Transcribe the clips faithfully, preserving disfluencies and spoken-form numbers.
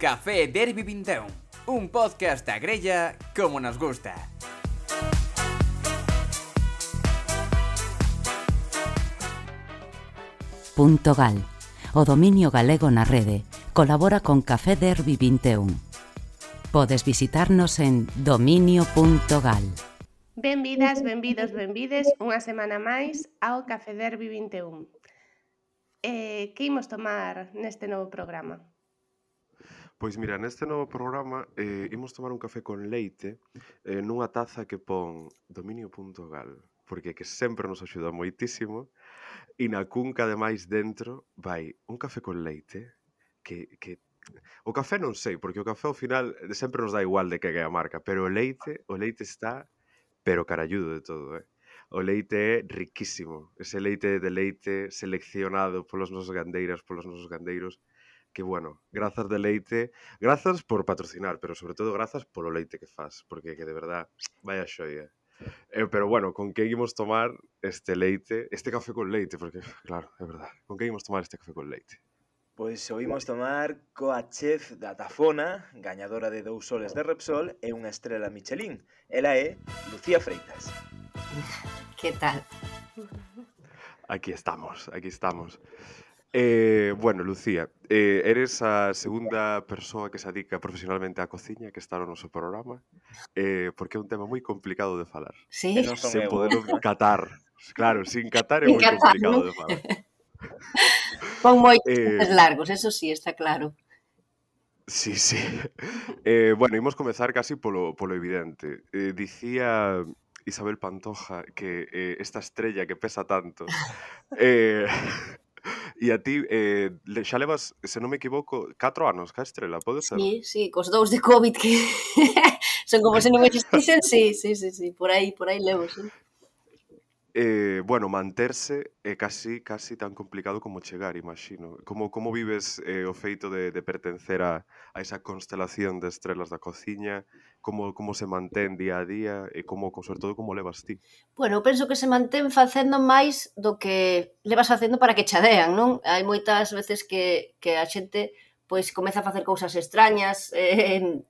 Café Derby vinte e un, un podcast a grella como nos gusta. Punto Gal, o dominio galego na rede, colabora con Café Derby vinte e un. Podes visitarnos en dominio punto gal. Benvidas, benvidos, benvides unha semana máis ao Café Derby vinte e un. Eh, que imos tomar neste novo programa? Pois mira, neste novo programa eh, imos tomar un café con leite eh, nunha taza que pon dominio punto gal, porque que sempre nos axuda moitísimo, e na cunca ademais dentro vai un café con leite que, que o café non sei, porque o café ao final sempre nos dá igual de que é a marca, pero o leite, o leite está pero caralludo de todo, eh? O leite é riquísimo, ese leite de leite seleccionado polos nosos gandeiras, polos nosos gandeiros, que bueno, grazas de leite, grazas por patrocinar, pero sobre todo grazas polo leite que faz, porque que de verdad, vaya xoia. Eh, pero bueno, con que imos tomar este leite, este café con leite, porque claro, é verdad, con que imos tomar este café con leite? Pois o imos tomar coa chef da Tafona, gañadora de dous soles de Repsol e unha estrela Michelin. Ela é Lucía Freitas. Que tal? Aquí estamos, aquí estamos. Eh, bueno, Lucía, eh, eres a segunda persoa que se dedica profesionalmente á cociña que está no noso programa, eh, porque é un tema moi complicado de falar. Sí? E non son Sen eu. poderlo catar. Claro, sin catar é Sin moi catar, complicado non? de falar. Con moitos Eh, dientes largos, eso sí, está claro. Sí, sí. Eh, bueno, imos comezar casi polo, polo evidente. Eh, dicía Isabel Pantoja que eh, esta estrella que pesa tanto... Eh, e a ti, eh, le- xa levas, se non me equivoco, catro anos ca estrela, pode ser? Sí, sí, cos dous de COVID que son como se non existisen, sí, sí, sí, sí, por aí, por aí levo, sí. Eh, bueno, manterse é casi casi tan complicado como chegar, imagino. Como como vives eh, o feito de, de pertencer a, a esa constelación de estrelas da cociña? Como como se mantén día a día e como, co- sobre todo, como levas ti? Bueno, eu penso que se mantén facendo máis do que levas facendo para que chadean, non? Hai moitas veces que, que a xente pois comeza a facer cousas extrañas, eh,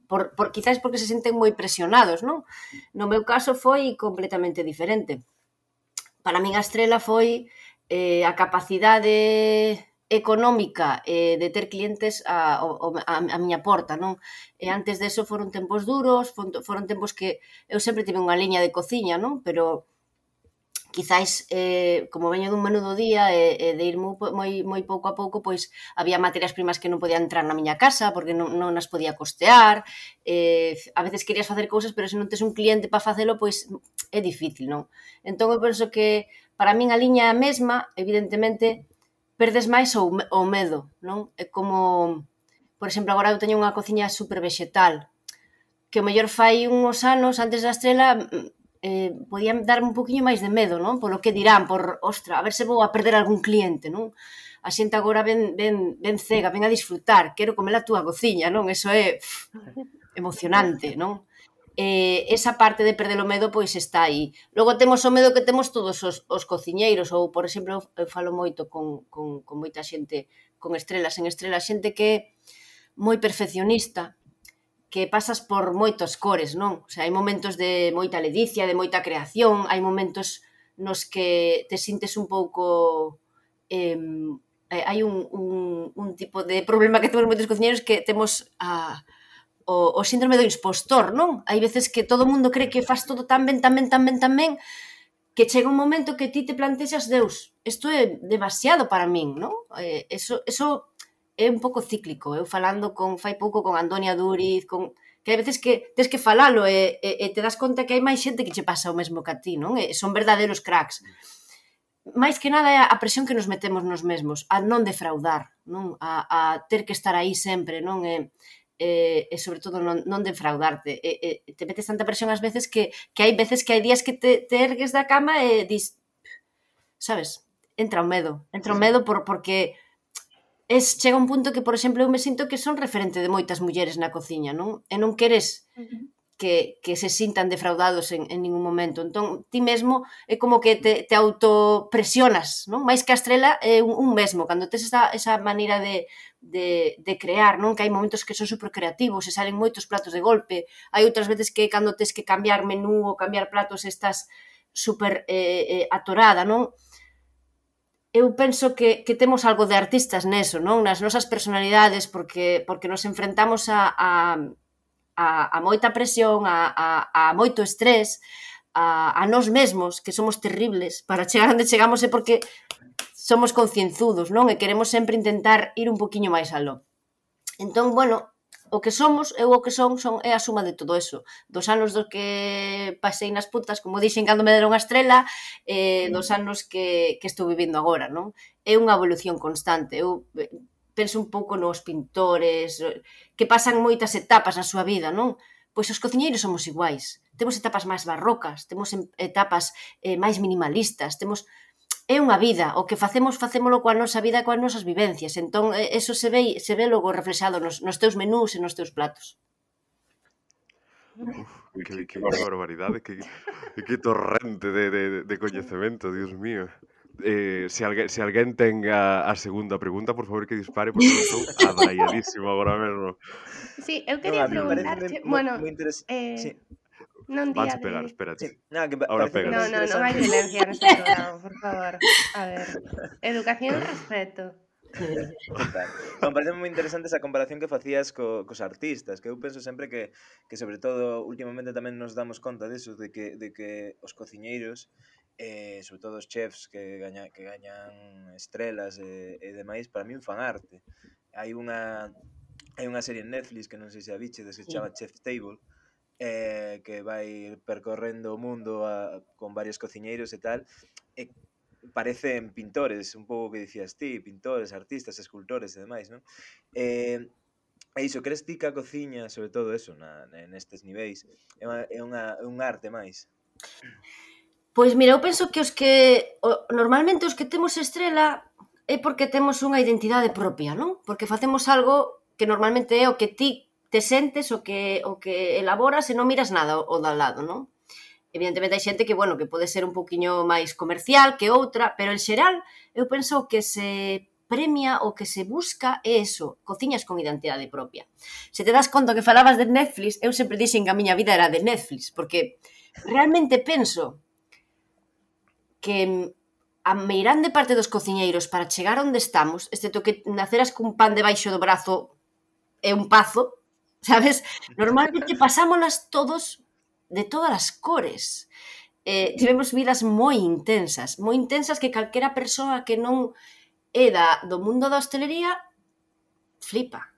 por, por, quizáis porque se senten moi presionados, non? No meu caso foi completamente diferente. Para min a estrela foi eh, a capacidade económica eh, de ter clientes a, a, a miña porta, non? E antes deso foron tempos duros, foron, foron tempos que eu sempre tive unha liña de cociña, non? Pero quizáis, eh, como veño dun menú do día e, e de ir moi, moi, moi pouco a pouco, pois había materias primas que non podían entrar na miña casa porque non, non as podía costear, eh, a veces querías facer cousas, pero se non tes un cliente para facelo, pois é difícil, non? Entón eu penso que para min a liña é a mesma, evidentemente, perdes máis o, o medo, non? É como, por exemplo, agora eu teño unha cociña super vexetal, que o mellor fai uns anos, antes da estrela, eh, podían darme un poquinho máis de medo, non? Polo que dirán, por, ostra, a ver se vou a perder algún cliente, non? A xente agora ven, ven, ven cega, ven a disfrutar, quero comer a túa cociña, non? Eso é pff, emocionante, non? Eh, esa parte de perder o medo, pois está aí. Logo temos o medo que temos todos os, os cociñeiros, ou, por exemplo, eu falo moito con, con, con moita xente, con estrelas en estrelas, xente que é moi perfeccionista, que pasas por moitos cores, non? O sea, hai momentos de moita ledicia, de moita creación, hai momentos nos que te sintes un pouco... Eh, hai un, un, un tipo de problema que temos moitos cociñeiros que temos a, o, o síndrome do impostor, non? Hai veces que todo o mundo cree que faz todo tan ben, tan ben, tan ben, tan ben, que chega un momento que ti te plantexas, Deus, isto é demasiado para min, non? Eh, eso, eso é un pouco cíclico. Eu falando con fai pouco con Antonia Duriz, con que hai veces que tes que falalo e, e, e te das conta que hai máis xente que che pasa o mesmo que a ti, non? E son verdadeiros cracks. Máis que nada é a presión que nos metemos nos mesmos, a non defraudar, non? A, a ter que estar aí sempre, non? E, e, e sobre todo non, non defraudarte. E, e te metes tanta presión ás veces que, que hai veces que hai días que te, te ergues da cama e dis, sabes, entra o medo, entra o medo por, porque es, chega un punto que, por exemplo, eu me sinto que son referente de moitas mulleres na cociña, non? E non queres que, que se sintan defraudados en, en ningún momento. Entón, ti mesmo é como que te, te autopresionas, non? Mais que a estrela é un, un mesmo, cando tes esa, esa maneira de, de, de crear, non? Que hai momentos que son super creativos e salen moitos platos de golpe, hai outras veces que cando tes que cambiar menú ou cambiar platos estás super eh, eh, atorada, non? Eu penso que, que temos algo de artistas neso, non? Nas nosas personalidades, porque, porque nos enfrentamos a, a A, a moita presión, a, a, a moito estrés, a, a nós mesmos, que somos terribles, para chegar onde chegamos é porque somos concienzudos, non? E queremos sempre intentar ir un poquinho máis aló. Entón, bueno, o que somos, eu o que son, son é a suma de todo eso. Dos anos do que pasei nas putas, como dixen cando me deron a estrela, eh, dos anos que, que estou vivindo agora, non? É unha evolución constante. Eu penso un pouco nos pintores, que pasan moitas etapas na súa vida, non? Pois os cociñeiros somos iguais. Temos etapas máis barrocas, temos etapas eh, máis minimalistas, temos... É unha vida, o que facemos, facémolo coa nosa vida e coas nosas vivencias. Entón, eso se ve, se ve logo reflexado nos, nos teus menús e nos teus platos. Uf, que, que barbaridade, que, que torrente de, de, de coñecemento, Dios mío. Eh, se, alguén, se alguén ten a, a segunda pregunta, por favor que dispare, porque eu estou adraiadísimo agora mesmo. Sí, eu quería No, a mí preguntarche, pareceme moi, bueno, moi interes- eh, sí, non día Vanse pegar, de... espérate. sí. Nada, que pa- Ahora pareceme pegas. No, moi no, non hai interesante. violencia neste programa, por favor. A ver, educación e respeto. Total. Non, parece moi interesante esa comparación que facías co, cos artistas, que eu penso sempre que, que sobre todo últimamente tamén nos damos conta disso, de que, de que os cociñeiros, eh, sobre todo os chefs que, gaña, que gañan estrelas e, e demais, para min fan arte. Hai unha hai unha serie en Netflix que non sei se a bichedes, que se chama Chef's Table, eh, que vai percorrendo o mundo a, con varios cociñeiros e tal, e parecen pintores, un pouco que dicías ti, pintores, artistas, escultores e demais, non? Eh, e iso, crees ti que a cociña, sobre todo eso, na, nestes niveis, é unha, é unha, un arte máis? Pois mira, eu penso que os que o, normalmente os que temos estrela é porque temos unha identidade propia, non? Porque facemos algo que normalmente é o que ti te sentes, o que o que elaboras e non miras nada o do lado, non? Evidentemente hai xente que, bueno, que pode ser un poquinho máis comercial que outra, pero en xeral eu penso que se premia o que se busca é eso, cociñas con identidade propia. Se te das conta que falabas de Netflix, eu sempre dixen que a miña vida era de Netflix, porque realmente penso que a meirande parte dos cociñeiros para chegar onde estamos, excepto que naceras cun pan debaixo do brazo e un pazo, sabes? Normalmente pasámolas todos de todas as cores. Eh, tivemos vidas moi intensas, moi intensas que calquera persoa que non é da, do mundo da hostelería flipa.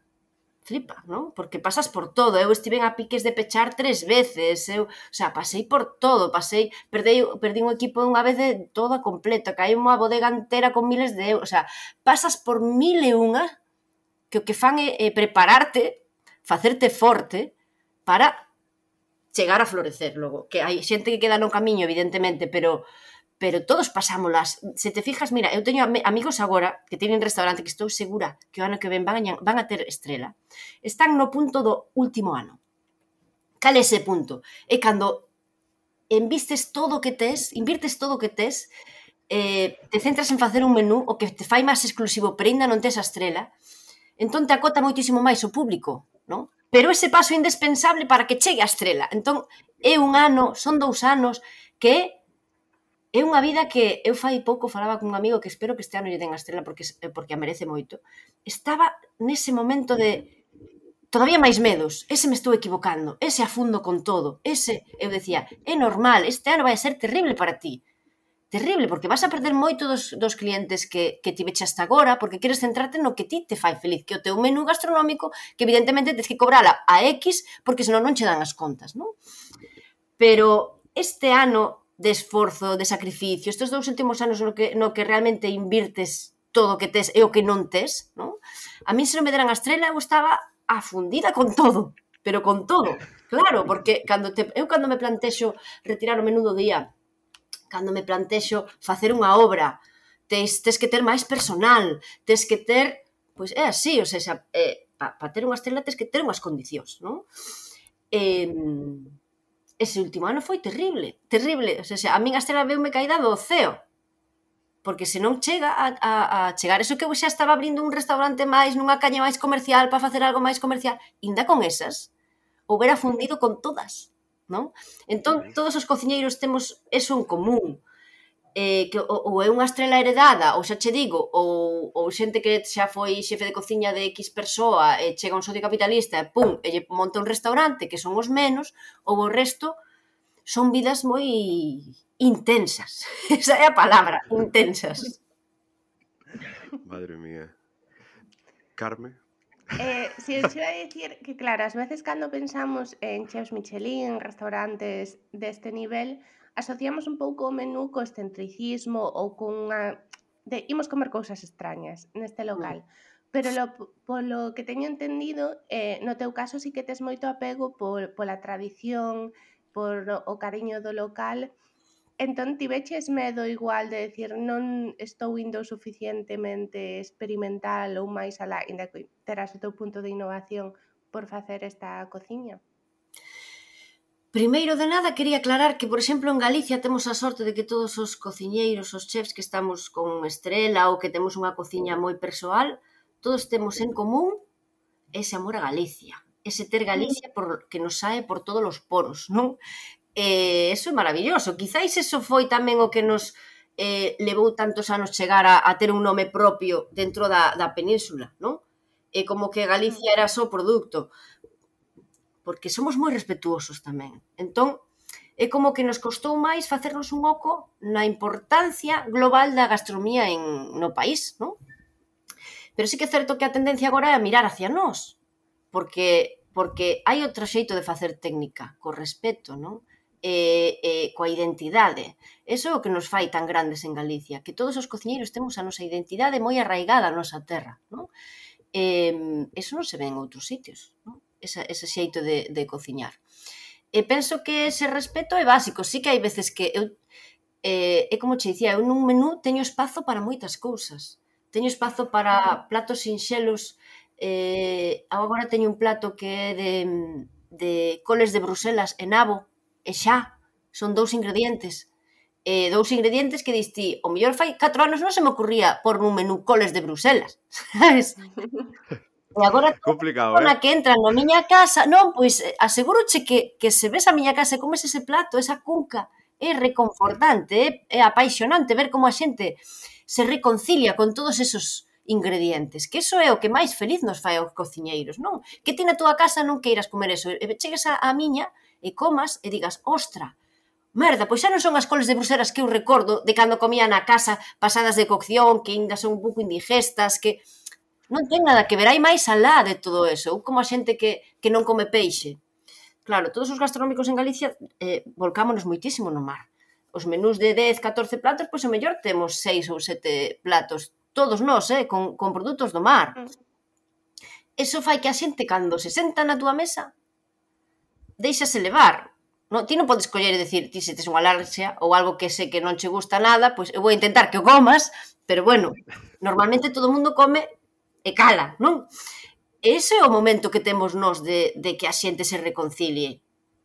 Flipa, non? Porque pasas por todo. Eu estiven a piques de pechar tres veces. Eu, o sea, pasei por todo. Pasei, perdei, perdí un equipo unha vez de toda completa. Caí unha bodega entera con miles de euros. O sea, pasas por mil e unha que o que fan é, é prepararte, facerte forte para chegar a florecer logo. Que hai xente que queda no camiño, evidentemente, pero pero todos pasámolas. Se te fijas, mira, eu teño amigos agora que teñen restaurante que estou segura que o ano que ven van a, van a ter estrela. Están no punto do último ano. Cal é ese punto? É cando envistes todo o que tes, invirtes todo o que tes, eh, te centras en facer un menú, o que te fai máis exclusivo, pero ainda non tes a estrela, entón te acota moitísimo máis o público, non? Pero ese paso é indispensable para que chegue a estrela. Entón, é un ano, son dous anos, que é unha vida que eu fai pouco falaba con un amigo que espero que este ano lle den a estrela porque, porque a merece moito. Estaba nese momento de todavía máis medos, ese me estou equivocando, ese afundo con todo, ese, eu decía, é normal, este ano vai a ser terrible para ti. Terrible, porque vas a perder moito dos, dos clientes que, que ti veche hasta agora, porque queres centrarte no que ti te fai feliz, que o teu menú gastronómico, que evidentemente tens que cobrala a X, porque senón non che dan as contas, non? Pero este ano de esforzo, de sacrificio, estes dous últimos anos no que, no que realmente invirtes todo o que tes e o que non tes, non? A mí se non me deran a estrela, eu estaba afundida con todo, pero con todo, claro, porque cando te, eu cando me plantexo retirar o menú do día, cando me plantexo facer unha obra, tes, tes que ter máis personal, tes que ter, pois é así, o sea, eh, para pa ter unha estrela tes que ter unhas condicións, non? E, ese último ano foi terrible, terrible. O sea, a min a estrela veume caída do ceo. Porque se non chega a, a, a chegar eso que eu xa estaba abrindo un restaurante máis nunha caña máis comercial para facer algo máis comercial, inda con esas, houbera fundido con todas, non? Entón, todos os cociñeiros temos eso en común, eh, que ou é unha estrela heredada, ou xa che digo, ou, ou xente que xa foi xefe de cociña de X persoa e chega un socio capitalista e pum, e lle monta un restaurante que son os menos, ou o resto son vidas moi intensas. Esa é a palabra, intensas. Madre mía. Carme? Eh, si os iba a dicir que, claro, ás veces cando pensamos en chefs Michelin, en restaurantes deste nivel, asociamos un pouco o menú co excentricismo ou cunha... de imos comer cousas extrañas neste local. Pero lo, polo que teño entendido, eh, no teu caso sí que tes moito apego por, pola tradición, por o cariño do local. Entón, tiveches medo igual de decir non estou indo suficientemente experimental ou máis alá, inda que terás o teu punto de innovación por facer esta cociña? Primeiro de nada, quería aclarar que, por exemplo, en Galicia temos a sorte de que todos os cociñeiros, os chefs que estamos con estrela ou que temos unha cociña moi persoal, todos temos en común ese amor a Galicia, ese ter Galicia por, que nos sae por todos os poros, non? E eso é maravilloso. Quizáis eso foi tamén o que nos eh, levou tantos anos chegar a, a ter un nome propio dentro da, da península, non? E como que Galicia era só produto, porque somos moi respetuosos tamén. Entón, é como que nos costou máis facernos un oco na importancia global da gastronomía en, no país, non? Pero sí que é certo que a tendencia agora é a mirar hacia nós, porque, porque hai outro xeito de facer técnica, co respeto, non? E, e coa identidade. Eso é o que nos fai tan grandes en Galicia, que todos os cociñeiros temos a nosa identidade moi arraigada a nosa terra, non? E, eso non se ve en outros sitios, non? Esa, ese xeito de, de cociñar. E penso que ese respeto é básico. Sí que hai veces que eu, eh, é como che dicía, eu nun menú teño espazo para moitas cousas. Teño espazo para platos sinxelos. Eh, agora teño un plato que é de, de coles de Bruselas e nabo, e xa, son dous ingredientes. Eh, dous ingredientes que diste, o mellor fai catro anos non se me ocurría por nun menú coles de Bruselas, sabes? E agora complicado, na eh? que entra na miña casa, non, pois asegúroche que, que se ves a miña casa e comes ese plato, esa cunca, é reconfortante, é, é apaixonante ver como a xente se reconcilia con todos esos ingredientes, que eso é o que máis feliz nos fai aos cociñeiros, non? Que ti na túa casa non queiras comer eso, e chegues a, a miña e comas e digas, ostra, merda, pois xa non son as coles de Bruselas que eu recordo de cando comía na casa pasadas de cocción, que ainda son un pouco indigestas, que non ten nada que ver, hai máis alá de todo eso, ou como a xente que, que non come peixe. Claro, todos os gastronómicos en Galicia eh, volcámonos moitísimo no mar. Os menús de dez, catorce platos, pois o mellor temos seis ou sete platos, todos nós, eh, con, con produtos do mar. Eso fai que a xente, cando se senta na túa mesa, deixase levar. No, ti non podes coller e decir, ti se tes unha alerxia ou algo que sei que non che gusta nada, pois eu vou intentar que o comas, pero bueno, normalmente todo o mundo come e cala, non? Ese é o momento que temos nós de, de que a xente se reconcilie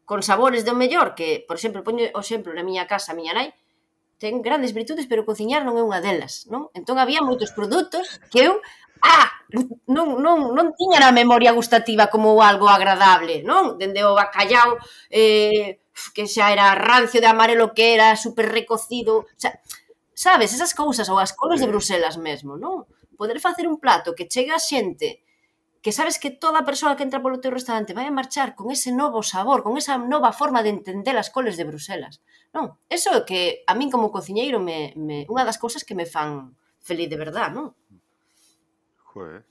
con sabores do mellor, que, por exemplo, poño o exemplo na miña casa, a miña nai ten grandes virtudes, pero cociñar non é unha delas, non? Entón había moitos produtos que eu, ah, non, non, non tiña na memoria gustativa como algo agradable, non? Dende o bacallao, eh, que xa era rancio de amarelo que era, super recocido, o sea, sabes, esas cousas, ou as coles de Bruselas mesmo, non? Poder facer un plato que chegue a xente que sabes que toda persoa que entra polo teu restaurante vai a marchar con ese novo sabor, con esa nova forma de entender as coles de Bruselas. Non, eso é que a min como cociñeiro me, me unha das cousas que me fan feliz de verdad, non? Joder.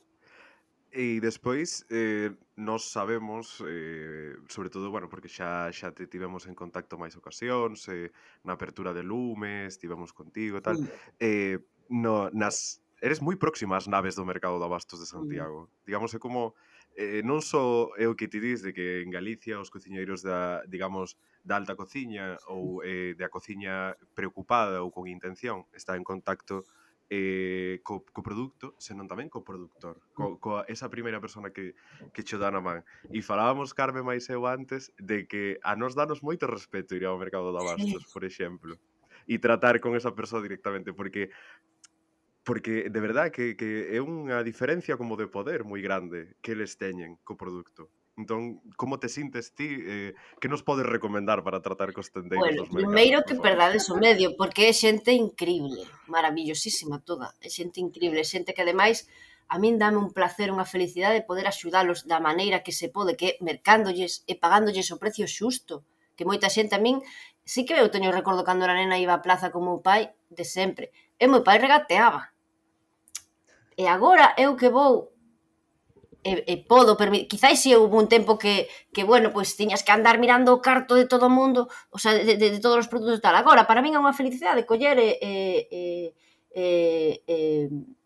E despois, eh, nós sabemos, eh, sobre todo, bueno, porque xa xa te tivemos en contacto máis ocasións, eh, na apertura de Lumes, estivemos contigo e tal, Mm. eh, no, nas, eres moi próxima ás naves do mercado de abastos de Mm. Santiago. Digamos, é como, eh, non só é o que ti dis de que en Galicia os cociñeiros da, digamos, da alta cociña ou eh, da cociña preocupada ou con intención está en contacto eh, co, co produto, senón tamén co productor, co, co esa primeira persona que, que cho dá na man. E falábamos, Carme máis eu antes, de que a nos danos moito respeto ir ao mercado de abastos, por exemplo, e tratar con esa persoa directamente, porque porque de verdad que, que é unha diferencia como de poder moi grande que eles teñen co produto. Entón, como te sintes ti? Eh, que nos podes recomendar para tratar cos tendeiros Bueno, dos mercados? primeiro por que favor? perdades o medio, porque é xente increíble, maravillosísima toda, é xente increíble, é xente que ademais a min dame un placer, unha felicidade poder axudalos da maneira que se pode, que é mercándolles e pagándolles o precio xusto, que moita xente a min, sí que eu teño recordo cando era nena iba á plaza con meu pai, de sempre, e meu pai regateaba. E agora eu que vou e, e podo permitir, quizáis si houve un tempo que, que bueno, pois tiñas que andar mirando o carto de todo o mundo, o sea, de, de, de todos os produtos e tal. Agora, para min é unha felicidade coller e, e, e, e, e,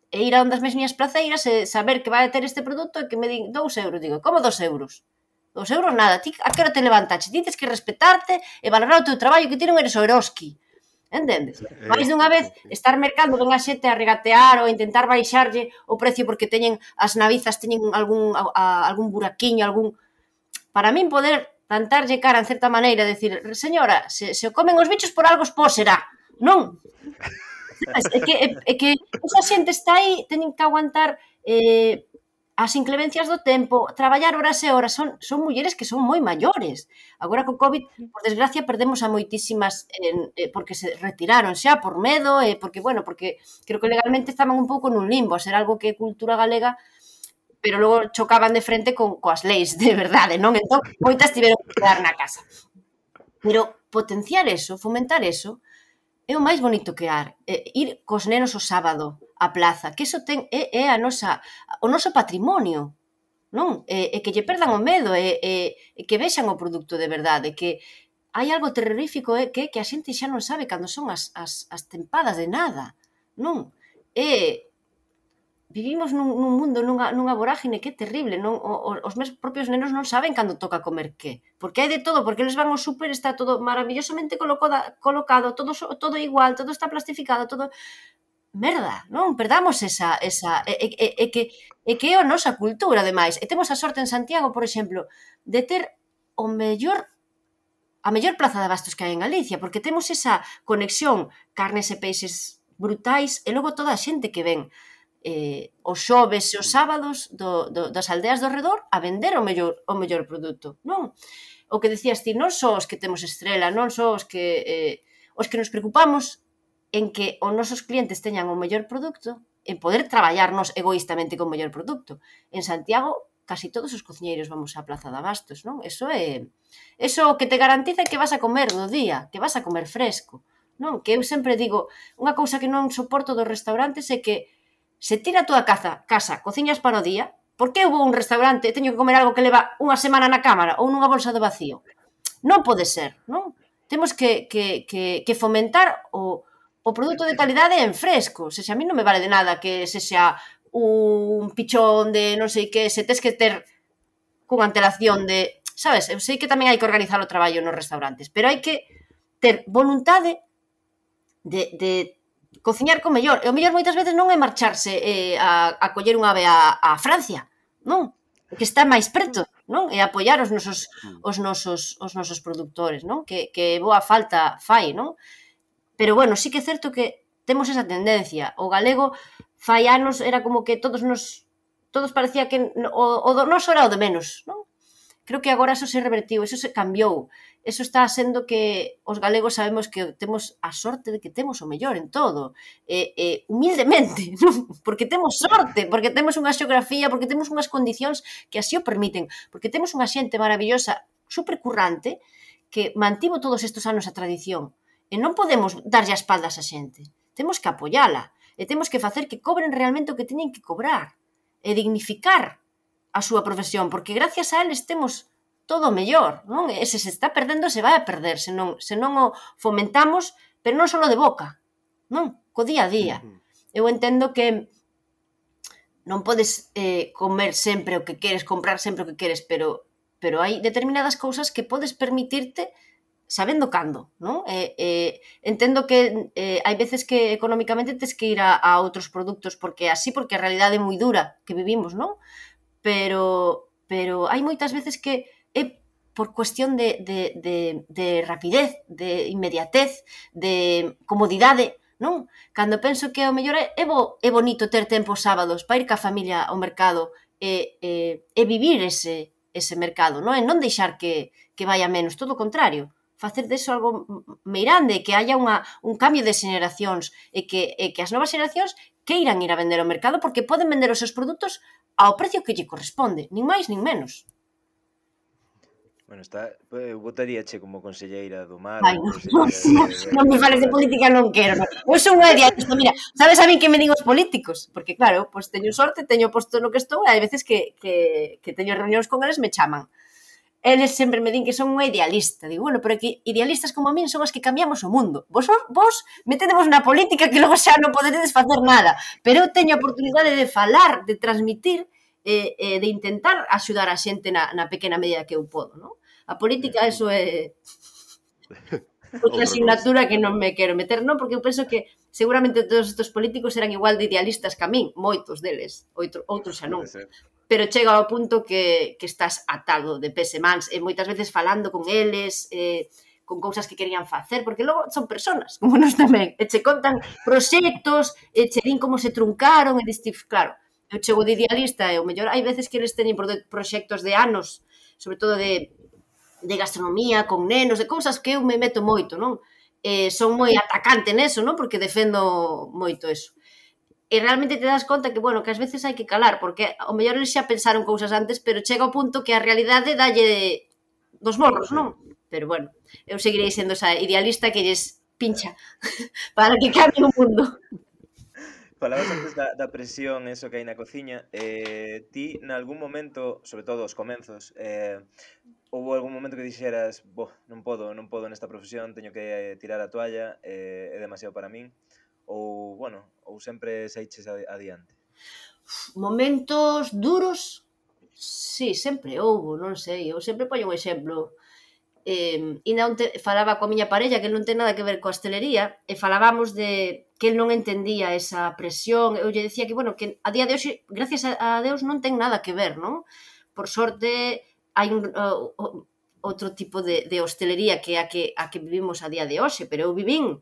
e ir a ondas das miñas placeiras e saber que vai a ter este produto e que me din dous euros. Digo, como dos euros? Dos euros nada, ti a que hora te levantaches? Ti tens que respetarte e valorar o teu traballo, que ti non eres o Eroski. Entendes? Eh, Mais dunha vez estar mercando ven a xente a regatear ou a intentar baixarlle o precio porque teñen as navizas teñen algún a, a, algún buraquiño, algún para min poder plantarlle cara en certa maneira, decir, señora, se, se o comen os bichos por algo os será, non? É que, é, é que esa xente está aí, teñen que aguantar eh, as inclemencias do tempo, traballar horas e horas, son, son mulleres que son moi maiores. Agora co COVID, por desgracia, perdemos a moitísimas eh, eh, porque se retiraron xa por medo, e eh, porque, bueno, porque creo que legalmente estaban un pouco nun limbo, a ser algo que cultura galega, pero logo chocaban de frente con coas leis de verdade, non? Entón, moitas tiveron que quedar na casa. Pero potenciar eso, fomentar eso, é o máis bonito que har. Eh, ir cos nenos o sábado á plaza, que eso ten, é, é a nosa, o noso patrimonio, non? E, e que lle perdan o medo, e, e, e que vexan o produto de verdade, que hai algo terrorífico, é que, que a xente xa non sabe cando son as, as, as tempadas de nada, non? E vivimos nun, nun mundo, nunha, nunha vorágine que é terrible, non? O, os meus propios nenos non saben cando toca comer que, porque hai de todo, porque eles van ao súper, está todo maravillosamente colocado, colocado todo, todo igual, todo está plastificado, todo... Merda, non? Perdamos esa... esa e, e, e, que, e que é a nosa cultura, ademais. E temos a sorte en Santiago, por exemplo, de ter o mellor a mellor plaza de abastos que hai en Galicia, porque temos esa conexión carnes e peixes brutais, e logo toda a xente que ven eh, os xoves e os sábados do, do, das aldeas do redor a vender o mellor, o mellor produto, non? O que decías ti, non só os que temos estrela, non só os que eh, os que nos preocupamos en que os nosos clientes teñan o mellor produto, en poder traballarnos egoístamente con o mellor produto. En Santiago, casi todos os cociñeiros vamos á plaza de abastos, non? Eso é... Eso que te garantiza que vas a comer do día, que vas a comer fresco, non? Que eu sempre digo, unha cousa que non soporto dos restaurantes é que se tira a túa casa, casa, cociñas para o día, por que eu vou a un restaurante e teño que comer algo que leva unha semana na cámara ou nunha bolsa de vacío? Non pode ser, non? Temos que, que, que, que fomentar o... o produto de calidade en fresco. Se xa a mí non me vale de nada que se xa un pichón de non sei que, se tes que ter con antelación de... Sabes, eu sei que tamén hai que organizar o traballo nos restaurantes, pero hai que ter voluntade de, de cociñar con mellor. E o mellor moitas veces non é marcharse eh, a, a coller unha ave a, a Francia, non? Que está máis preto, non? E apoiar os nosos, os nosos, os nosos produtores, non? Que, que boa falta fai, non? Pero, bueno, sí que é certo que temos esa tendencia. O galego, fai anos, era como que todos nos... Todos parecía que o, o do noso era o de menos, non? Creo que agora eso se revertiu, eso se cambiou. Eso está sendo que os galegos sabemos que temos a sorte de que temos o mellor en todo. E, e humildemente, non? Porque temos sorte, porque temos unha xeografía, porque temos unhas condicións que así o permiten, porque temos unha xente maravillosa, supercurrante, que mantivo todos estes anos a tradición. E non podemos darlle a espaldas a xente. Temos que apoiala. E temos que facer que cobren realmente o que teñen que cobrar. E dignificar a súa profesión. Porque gracias a eles temos todo o mellor. Non? E se se está perdendo, se vai a perder. Se non, se non o fomentamos, pero non só de boca. Non? Co día a día. Eu entendo que non podes eh, comer sempre o que queres, comprar sempre o que queres, pero, pero hai determinadas cousas que podes permitirte sabendo cando, non? Eh, eh, entendo que eh, hai veces que económicamente tes que ir a, a outros produtos porque así, porque a realidade é moi dura que vivimos, non? Pero, pero hai moitas veces que é por cuestión de, de, de, de rapidez, de inmediatez, de comodidade, non? Cando penso que ao mellor é, é, bo, é bonito ter tempo sábados para ir ca familia ao mercado e, e, e vivir ese, ese mercado, non? E non deixar que, que vaya menos, todo o contrario. Facer deso algo meirande, que haya unha, un cambio de xeneracións e que, e que as novas xeneracións queiran ir a vender ao mercado porque poden vender os seus produtos ao precio que lle corresponde, nin máis nin menos. Bueno, está, eu votaríache como conselleira do mar. Ai, non, non, non me fales de política, non quero. Non. Eu sou unha idealista, mira, sabes a mí que me digo os políticos? Porque claro, pois teño sorte, teño posto no que estou, e hai veces que, que, que teño reunións con eles, me chaman. Eles sempre me din que son unha idealista. Digo, bueno, pero que idealistas como a min son as que cambiamos o mundo. Vos, vos metedevos na política que logo xa non poderedes facer nada. Pero eu teño a oportunidade de falar, de transmitir, e, e de intentar axudar a xente na, na pequena medida que eu podo, non? A política, eso é outra asignatura que non me quero meter, non? Porque eu penso que seguramente todos estes políticos eran igual de idealistas que a min, moitos deles, outro, outros xa non. Pero chega ao punto que, que estás atado de pés e mans, e moitas veces falando con eles, eh, con cousas que querían facer, porque logo son personas, como nós tamén, e che contan proxectos, e che din como se truncaron, e diste, claro, eu chego de idealista, e o mellor hai veces que eles teñen proxectos de anos, sobre todo de, de gastronomía, con nenos, de cousas que eu me meto moito, non? Eh, son moi atacante neso, non? Porque defendo moito eso. E realmente te das conta que, bueno, que ás veces hai que calar, porque ao mellor eles xa pensaron cousas antes, pero chega ao punto que a realidade dalle dos morros, non? Pero, bueno, eu seguirei sendo esa idealista que lles pincha para que cambie o mundo. Falabas antes da, da presión, eso que hai na cociña. Eh, ti, nalgún momento, sobre todo os comenzos, eh, houve algún momento que dixeras, boh, non podo, non podo nesta profesión, teño que tirar a toalla, eh, é demasiado para min, ou, bueno, ou sempre saiches adiante? Momentos duros, sí, sempre houve, non sei, eu sempre poño un exemplo. Eh, e non te, falaba coa miña parella que non ten nada que ver coa hostelería, e falábamos de que el non entendía esa presión. Eu lle decía que, bueno, que a día de hoxe, gracias a Deus, non ten nada que ver, non? Por sorte, hai un uh, outro tipo de, de hostelería que é a que, a que vivimos a día de hoxe, pero eu vivín,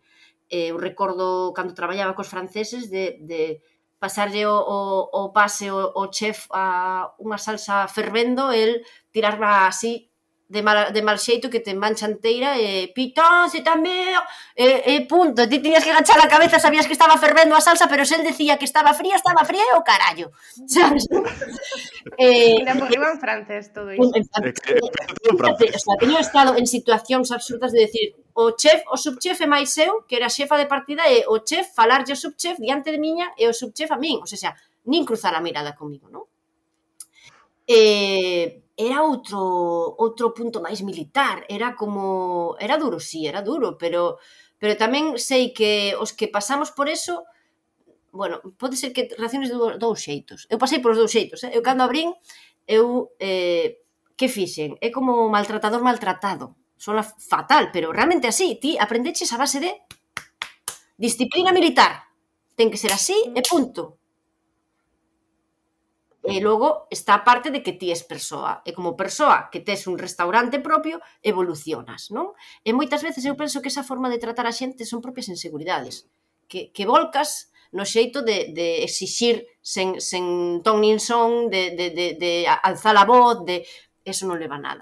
eh, eu recordo cando traballaba cos franceses de, de pasarlle o, o, o pase o, o chef a unha salsa fervendo, el tirarla así de mal, de mal xeito que te mancha enteira e pitón, se tamén e, e punto, ti tiñas que agachar a cabeza, sabías que estaba fervendo a salsa, pero se el decía que estaba fría, estaba fría e o carallo, sabes? eh, Mira, porque iba en francés todo iso. O sea, teño estado en situacións absurdas de decir o chef, o subchef e máis eu, que era xefa de partida, e o chef falarlle o subchef diante de miña e o subchef a min, o sea, nin cruzar a mirada comigo, non? Eh, era outro outro punto máis militar, era como, era duro, sí, era duro, pero pero tamén sei que os que pasamos por eso, bueno, pode ser que reacciones de dous xeitos. Eu pasei por os dous xeitos, eh? Eu cando abrín, eu, eh, que fixen? É como maltratador maltratado. Sona fatal, pero realmente así, ti aprendeches a base de disciplina militar. Ten que ser así e punto. E logo está a parte de que ti és persoa. E como persoa que tes un restaurante propio, evolucionas, non? E moitas veces eu penso que esa forma de tratar a xente son propias inseguridades. Que, que volcas no xeito de, de exixir sen, sen ton nin son, de, de, de, de alzar a voz, de... Eso non leva nada.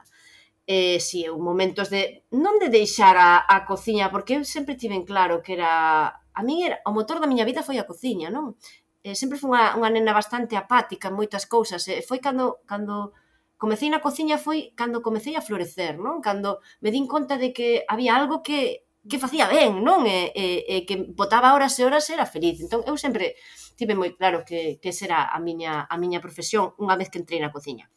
Eh, si, eu momentos de... Non de deixar a, a cociña, porque eu sempre tiven claro que era... A min era... O motor da miña vida foi a cociña, non? Eh, sempre foi unha, unha nena bastante apática en moitas cousas, e foi cando, cando comecei na cociña, foi cando comecei a florecer, non? Cando me din conta de que había algo que, que facía ben, non? E, e, e que botaba horas e horas e era feliz. Entón, eu sempre tive moi claro que, que esa era a miña, a miña profesión unha vez que entrei na cociña.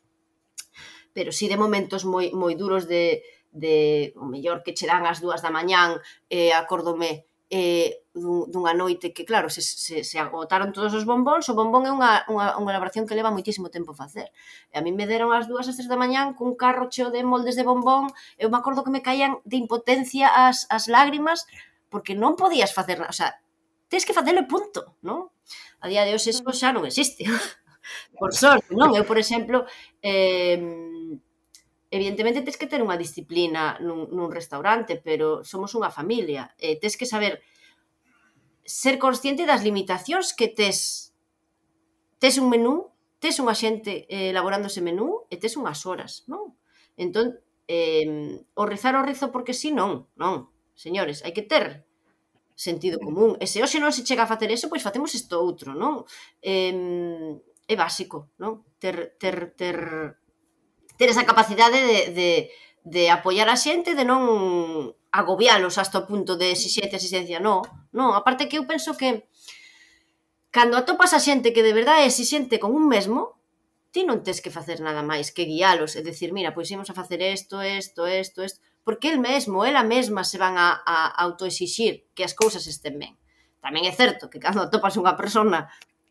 Pero si de momentos moi, moi duros de, de, o mellor que che dan as dúas da mañán, e acórdome eh, dun, dunha noite que, claro, se, se, se agotaron todos os bombóns. O bombón é unha, unha, unha elaboración que leva moitísimo tempo facer. E a mí me deron as dúas, as tres da mañán cun carro cheo de moldes de bombón. Eu me acordo que me caían de impotencia as, as lágrimas, porque non podías facer nada. O sea, tens que facelo e punto, non? A día de hoxe eso xa non existe. Por sorte, non? Eu, por exemplo, eh, evidentemente tens que ter unha disciplina nun, nun restaurante, pero somos unha familia. Eh, tens que saber ser consciente das limitacións que tes. Tes un menú, tes unha xente eh, elaborando ese menú e tes unhas horas, non? Entón, eh, o rizar o rizo porque si, non, non. Señores, hai que ter sentido común. E se hoxe non se chega a facer eso, pois facemos isto outro, non? Eh, é básico, non? Ter, ter, ter, ter esa capacidade de, de, de apoiar a xente, de non agobialos hasta o punto de exixencia, exixencia, non. Non, aparte que eu penso que cando atopas a xente que de verdade é exixente con un mesmo, ti non tes que facer nada máis que guialos e decir, mira, pois imos a facer isto, isto, isto, isto, porque el mesmo, ela mesma se van a, a autoexixir que as cousas estén ben. Tamén é certo que cando atopas unha persona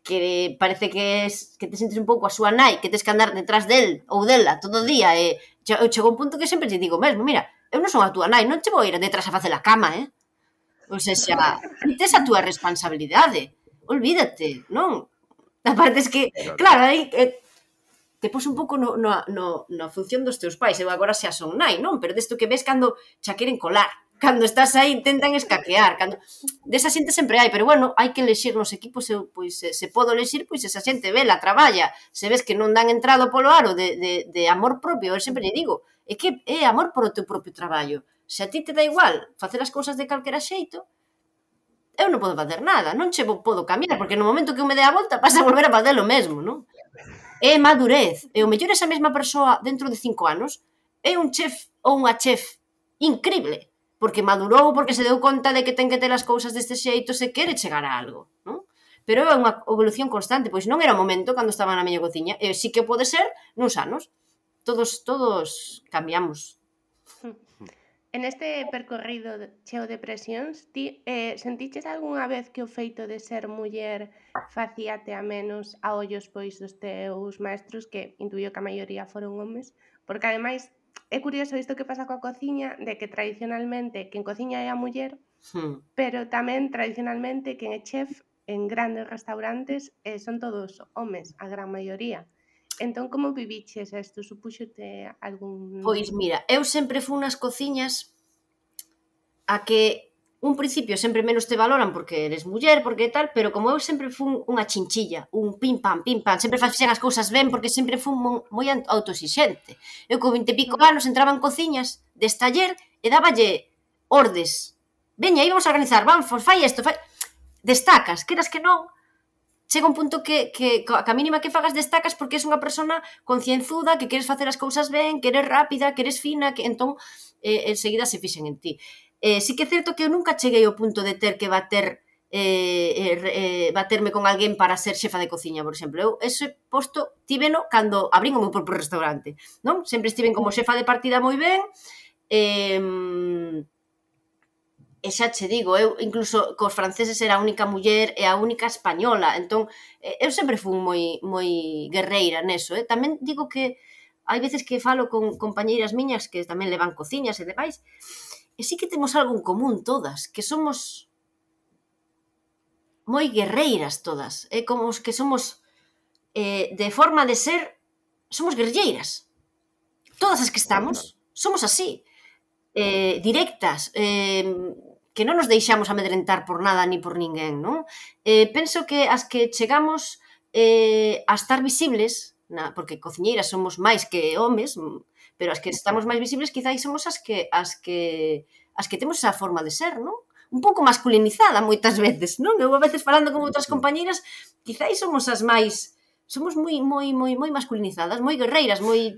que parece que es, que te sentes un pouco a súa nai, que tes que andar detrás del ou dela todo o día, e eu chego a un punto que sempre te digo mesmo, mira, eu non son a túa nai, non te vou ir detrás a facer a cama, eh? Ou seja, tes a túa responsabilidade, olvídate, non? Aparte es que, claro, aí eh, te pos un pouco no, no, no, na función dos teus pais, eu agora xa son nai, non? Pero desto que ves cando xa queren colar, cando estás aí intentan escaquear, cando desa xente sempre hai, pero bueno, hai que elexir nos equipos, eu, pois se, se podo elexir, pois esa xente vela, traballa, se ves que non dan entrado polo aro de, de, de amor propio, eu sempre lle digo, é que é amor polo teu propio traballo. Se a ti te dá igual facer as cousas de calquera xeito, eu non podo facer nada, non che podo cambiar, porque no momento que eu me dé a volta vas a volver a facer o mesmo, non? É madurez, e o mellor esa mesma persoa dentro de cinco anos é un chef ou unha chef increíble, porque madurou, porque se deu conta de que ten que ter as cousas deste xeito, se quere chegar a algo, non? Pero é unha evolución constante, pois non era o momento cando estaba na miña cociña, e sí que pode ser nuns anos. Todos, todos cambiamos. En este percorrido cheo de presións, ti eh, sentiches algunha vez que o feito de ser muller facíate a menos a ollos pois dos teus maestros, que intuío que a maioría foron homes? Porque ademais é curioso isto que pasa coa cociña, de que tradicionalmente quen cociña é a muller, Hmm. pero tamén tradicionalmente quen é chef en grandes restaurantes eh, son todos homes, a gran maioría. Entón, como viviches isto? Supúxote algún... Pois mira, eu sempre fui nas cociñas a que un principio sempre menos te valoran porque eres muller, porque tal, pero como eu sempre fui unha chinchilla, un pim pam, pim pam, sempre facían as cousas ben porque sempre fui moi autoexixente. Eu con vinte e pico anos entraba en cociñas de estaller e dáballe ordes. Veña, aí vamos a organizar, vamos, fai isto, fai... Destacas, queras que non, chega un punto que, que, que a mínima que fagas destacas porque és unha persona concienzuda, que queres facer as cousas ben, que eres rápida, que eres fina, que entón eh, enseguida se fixen en ti. Eh, sí que é certo que eu nunca cheguei ao punto de ter que bater eh, eh, baterme con alguén para ser xefa de cociña, por exemplo. Eu ese posto tiveno cando abrín o meu propio restaurante, non? Sempre estiven como xefa de partida moi ben, eh, e xa che digo, eu incluso cos franceses era a única muller e a única española, entón eu sempre fui moi moi guerreira neso, eh? Tamén digo que hai veces que falo con compañeiras miñas que tamén levan cociñas e demais, e sí que temos algo en común todas, que somos moi guerreiras todas, é como os que somos eh, de forma de ser, somos guerreiras. Todas as que estamos somos así, eh, directas, eh, que non nos deixamos amedrentar por nada ni por ninguén, non? Eh, penso que as que chegamos eh, a estar visibles, na, porque cociñeiras somos máis que homes, pero as que estamos máis visibles quizás somos as que as que as que temos esa forma de ser, non? Un pouco masculinizada moitas veces, non? Eu a veces falando con outras compañeiras, quizás somos as máis, somos moi moi moi moi masculinizadas, moi guerreiras, moi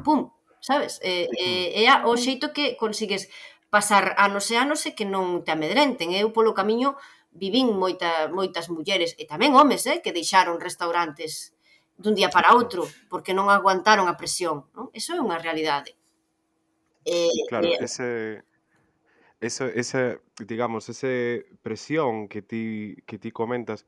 pum, sabes? É eh, eh, o xeito que consigues pasar anos e anos e que non te amedrenten. Eu polo camiño vivín moita, moitas mulleres e tamén homes, eh, que deixaron restaurantes dun día para outro porque non aguantaron a presión, non? Eso é unha realidade. Eh, claro, eh, ese esa, esa, digamos, esa presión que ti, que ti comentas,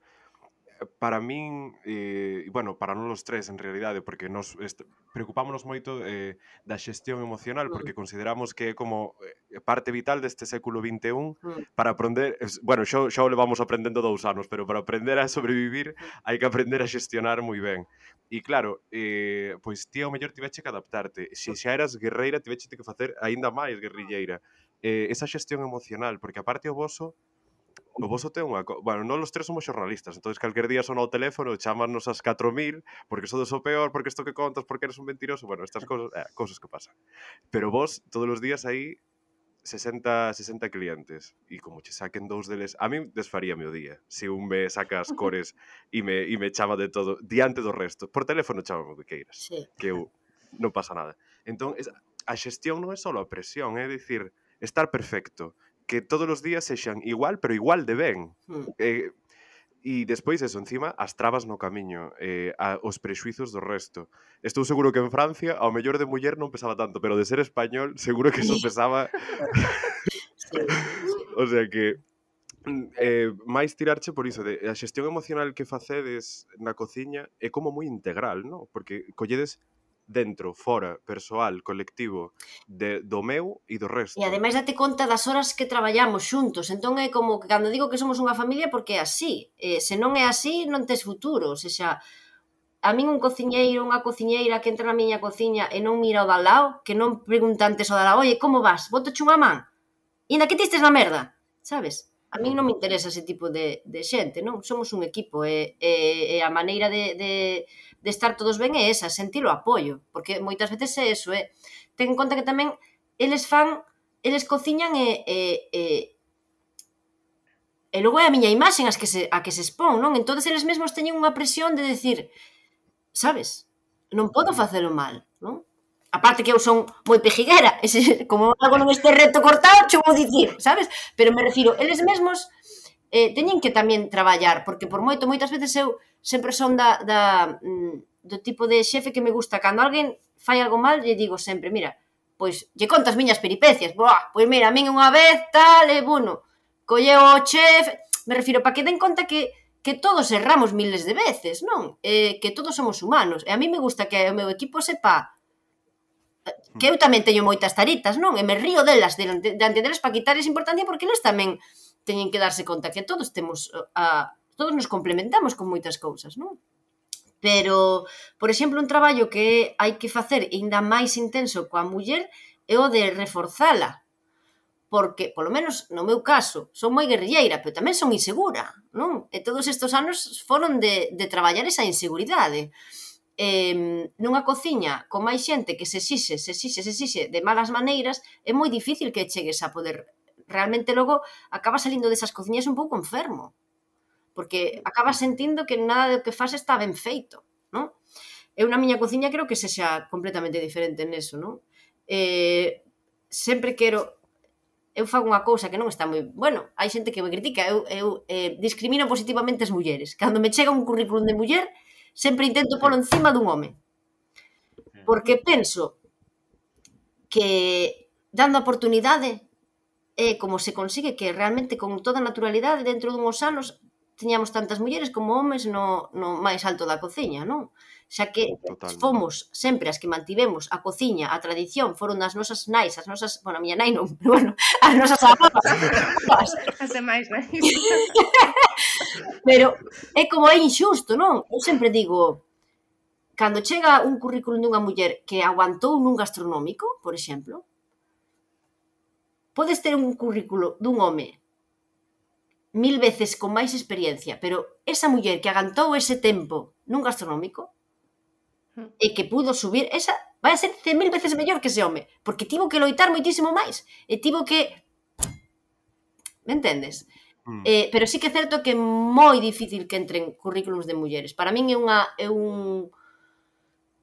para min, eh, bueno, para non os tres en realidade, porque nos est- preocupámonos moito eh, da xestión emocional, Mm, porque consideramos que é como eh, parte vital deste século vinte e un mm, para aprender, es- bueno, xo, xo o levamos aprendendo dous anos, pero para aprender a sobrevivir hai que aprender a xestionar moi ben. E claro, eh, pois ti ao mellor tiveche que adaptarte. Se xa eras guerreira, tiveche que facer aínda máis guerrilleira. Eh, esa xestión emocional, porque aparte o voso O voso ten unha... Co... Bueno, non os tres somos xornalistas, entón calquer día son ao teléfono, chamarnos as catro mil, porque sodes o peor, porque isto que contas, porque eres un mentiroso, bueno, estas cosas, eh, cosas que pasan. Pero vos, todos os días aí, sesenta, sesenta clientes, e como che saquen dous deles, a mí desfaríame o día, se un me saca as cores e me, e me chama de todo, diante do resto. Por teléfono chámame o que queiras, sí. que eu non pasa nada. Entón, es, a xestión non é só a presión, é dicir, estar perfecto, que todos os días sexan igual, pero igual de ben. Mm. Eh, e despois eso, encima, as trabas no camiño, eh, a, os prexuizos do resto. Estou seguro que en Francia, ao mellor de muller non pesaba tanto, pero de ser español, seguro que eso pesaba... Sí, sí. O sea que, mm, eh, máis tirarche por iso, de a xestión emocional que facedes na cociña é como moi integral, non? Porque colledes dentro, fora, persoal, colectivo, de, do meu e do E resto. ademais date conta das horas que traballamos xuntos, entón é como que cando digo que somos unha familia porque é así, eh, se non é así non tes futuro, o sea, a min un cociñeiro, unha cociñeira que entra na miña cociña e non mira o de al lado, que non pregunta antes o de al lado, oye, como vas? Botoche unha man? E ainda que ti estes na merda, sabes? A min non me interesa ese tipo de, de xente, non? Somos un equipo e, e, e a maneira de, de, de estar todos ben é esa, sentir o apoio, porque moitas veces é eso, é, ten en conta que tamén eles fan, eles cociñan e, e, e e logo é a miña imaxen as que se, a que se expón, non? Entón eles mesmos teñen unha presión de decir, sabes? Non podo facelo mal, non? Aparte que eu son moi pejiguera, ese, como algo non este reto cortado, che vou dicir, sabes? Pero me refiro, eles mesmos eh, teñen que tamén traballar, porque por moito, moitas veces eu sempre son da, da, mm, do tipo de xefe que me gusta, cando alguén fai algo mal, lle digo sempre, mira, pois, lle conto as miñas peripecias, boa, pois mira, a min unha vez, tal, e, bueno, colleu o chef, me refiro, para que den conta que que todos erramos miles de veces, non? Eh, que todos somos humanos. E a mí me gusta que o meu equipo sepa que eu tamén teño moitas taritas, non? E me río delas, diante delas para quitarles importancia, porque eles tamén teñen que darse conta que todos temos a, todos nos complementamos con moitas cousas, non? Pero, por exemplo, un traballo que hai que facer ainda máis intenso coa muller é o de reforzala, porque, polo menos no meu caso, son moi guerrilleira, pero tamén son insegura, non? E todos estes anos foron de, de traballar esa inseguridade. Eh, nunha cociña con máis xente que se exixe, se exixe, se exixe de malas maneiras, é moi difícil que chegues a poder... Realmente logo acaba salindo desas cociñas un pouco enfermo, porque acabas sentindo que nada do que faz está ben feito, non? Eu na miña cociña creo que sexa completamente diferente neso, non? Eh, sempre quero... eu fago unha cousa que non está moi... Bueno, hai xente que me critica, eu, eu eh, discrimino positivamente as mulleres. Cando me chega un currículum de muller, sempre intento polo encima dun home. Porque penso que dando a oportunidade é como se consigue que realmente con toda naturalidade dentro dunhos anos tiñamos tantas mulleres como homes no, no máis alto da cociña, non? Xa que Totalmente. fomos sempre as que mantivemos a cociña, a tradición, foron as nosas nais, as nosas, bueno, a miña nai non, pero bueno, as nosas avós. As demais, non? Pero é como é injusto, non? Eu sempre digo, cando chega un currículum dunha muller que aguantou nun gastronómico, por exemplo, podes ter un currículo dun home mil veces con máis experiencia, pero esa muller que aguantou ese tempo nun gastronómico e que pudo subir, esa vai a ser cen mil veces mellor que ese home, porque tivo que loitar moitísimo máis, e tivo que... Me entendes? Mm. Eh, pero sí que é certo que é moi difícil que entren currículums de mulleres. Para min é unha... É un...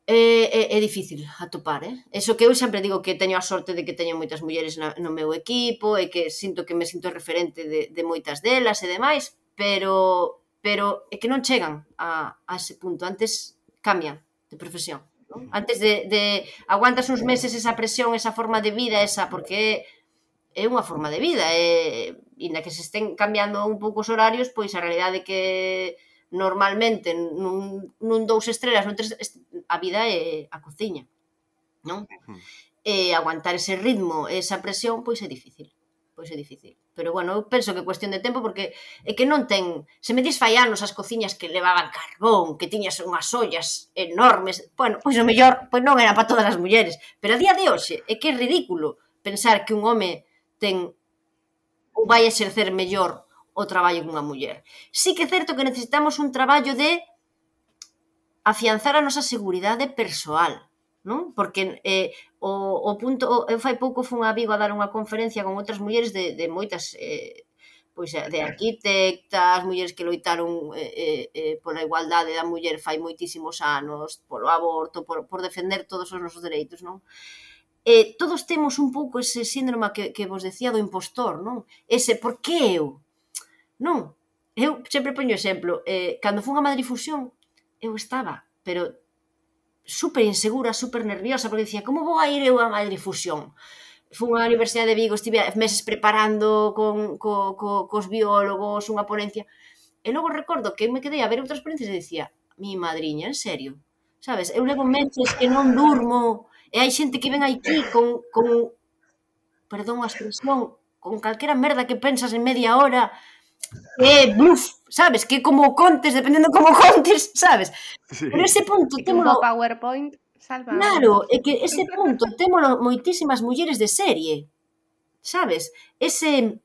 É, é, é difícil atopar, eh? Eso que eu sempre digo que teño a sorte de que teño moitas mulleres na, no meu equipo e que sinto que me sinto referente de, de moitas delas e demais, pero, pero é que non chegan a, a ese punto. Antes cambian de profesión, non? Antes de, de aguantas uns meses esa presión, esa forma de vida, esa, porque é unha forma de vida, e, e na que se estén cambiando un pouco os horarios, pois a realidade que normalmente nun, nun dous estrelas, nun tres, a vida é a cociña, non? Hmm. E aguantar ese ritmo, esa presión, pois é difícil, pois é difícil. Pero, bueno, eu penso que é cuestión de tempo, porque é que non ten... Se me dis fai anos as cociñas que levaban carbón, que tiñas unhas ollas enormes, bueno, pois o mellor, pois non era para todas as mulleres, pero a día de hoxe é que é ridículo pensar que un home ten ou vai exercer mellor o traballo que unha muller. Sí que é certo que necesitamos un traballo de afianzar a nosa seguridade persoal, non? Porque eh, o, o punto, eu fai pouco fun a Vigo a dar unha conferencia con outras mulleres de, de moitas, eh, pois de arquitectas, mulleres que loitaron eh, eh, pola igualdade da muller fai moitísimos anos, polo aborto, por, por defender todos os nosos dereitos, non? Eh, todos temos un pouco ese síndrome que, que vos decía do impostor, non? Ese, por que eu? Non, eu sempre poño exemplo, eh, cando fun a Madrid Fusión, eu estaba, pero super insegura, super nerviosa, porque dicía, como vou a ir eu a Madrid Fusión? Fun á Universidade de Vigo, estive meses preparando con, co, co, cos biólogos unha ponencia, e logo recordo que me quedei a ver outras ponencias e dicía, mi madriña, en serio? Sabes, eu levo meses que non durmo, e hai xente que ven aquí con, con perdón a expresión, con calquera merda que pensas en media hora, que, buf, sabes, que como contes, dependendo como contes, sabes? Sí. Pero ese punto E que un témolo... bo PowerPoint salva. Claro, é que ese punto témolo moitísimas mulleres de serie, sabes? Ese,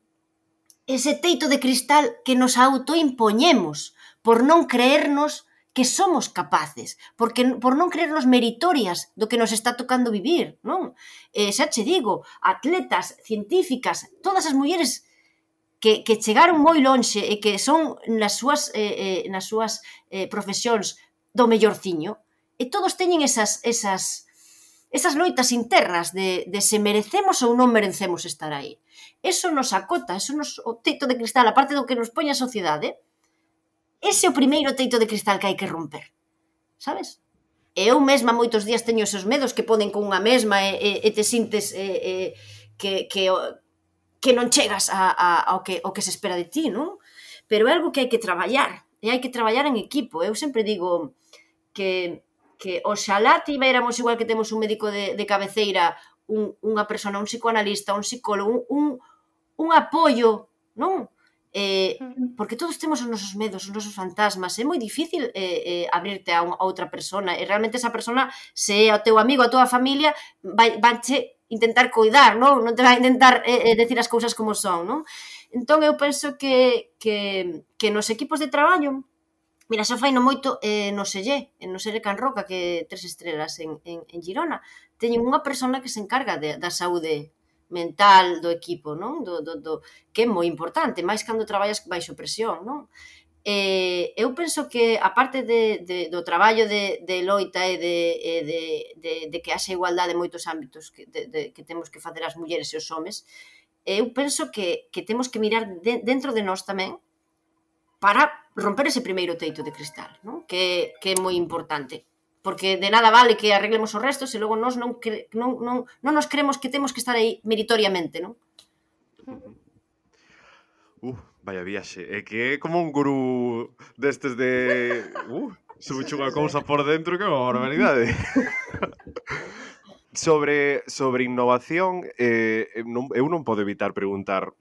ese teito de cristal que nos autoimpoñemos por non creernos que somos capaces, porque por non creernos meritorias do que nos está tocando vivir, non? Eh, xa che digo, atletas, científicas, todas as mulleres que, que chegaron moi lonxe e que son nas súas, eh, eh, nas súas eh, profesións do mellorciño, e todos teñen esas, esas, esas loitas internas de, de se merecemos ou non merecemos estar aí. Eso nos acota, eso nos, o teito de cristal, a parte do que nos poñe a sociedade, ese é o primeiro teito de cristal que hai que romper, sabes? E eu mesma moitos días teño esos medos que poden con unha mesma e, e, e te sintes e, e, que, que, que non chegas a, a, ao, que, ao que se espera de ti, non? Pero é algo que hai que traballar, e hai que traballar en equipo. Eu sempre digo que, que oxalá tivéramos igual que temos un médico de, de cabeceira, un, unha persona, un psicoanalista, un psicólogo, un, un, un apoio, non? Eh, porque todos temos os nosos medos, os nosos fantasmas, é moi difícil eh, eh, abrirte a, un, a outra persona, e realmente esa persona, se é o teu amigo, a tua familia, vai, vanche intentar coidar, non? Non te vai intentar eh, eh, decir as cousas como son, non? Entón eu penso que, que, que nos equipos de traballo, mira, xa fai no moito eh, no Sellé, en no Sellé Can Roca, que tres estrelas en, en, en Girona, teñen unha persona que se encarga de, da saúde mental do equipo, non? Do, do, do, que é moi importante, máis cando traballas baixo presión, non? Eh, eu penso que, aparte de, de, do traballo de, de loita e de, de, de, de que haxa igualdade en moitos ámbitos que, de, de, que temos que facer as mulleres e os homes, eu penso que, que temos que mirar de, dentro de nós tamén para romper ese primeiro teito de cristal, non? Que, que é moi importante. Porque de nada vale que arreglemos os restos e logo nós non, cre, non, non, non nos creemos que temos que estar aí meritoriamente, non? Uh, vaya viaxe. É que é como un gurú destes de... Uh, sube unha cousa por dentro que é unha barbaridade. sobre, sobre innovación, eh, non, eu non podo evitar preguntar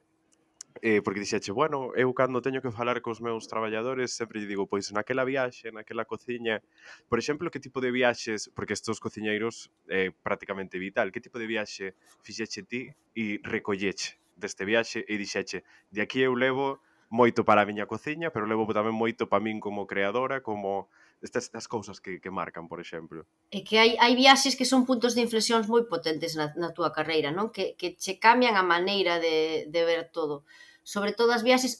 eh, porque dixeche, bueno, eu cando teño que falar cos meus traballadores sempre lle digo, pois naquela viaxe, naquela cociña, por exemplo, que tipo de viaxes, porque estos cociñeiros é eh, prácticamente vital, que tipo de viaxe fixeche ti e recolleche deste viaxe e dixeche, de aquí eu levo moito para a miña cociña, pero levo tamén moito para min como creadora, como estas, estas cousas que, que marcan, por exemplo. É que hai, hai viaxes que son puntos de inflexións moi potentes na, na túa carreira, non? Que, que che cambian a maneira de, de ver todo. Sobre todo as viaxes,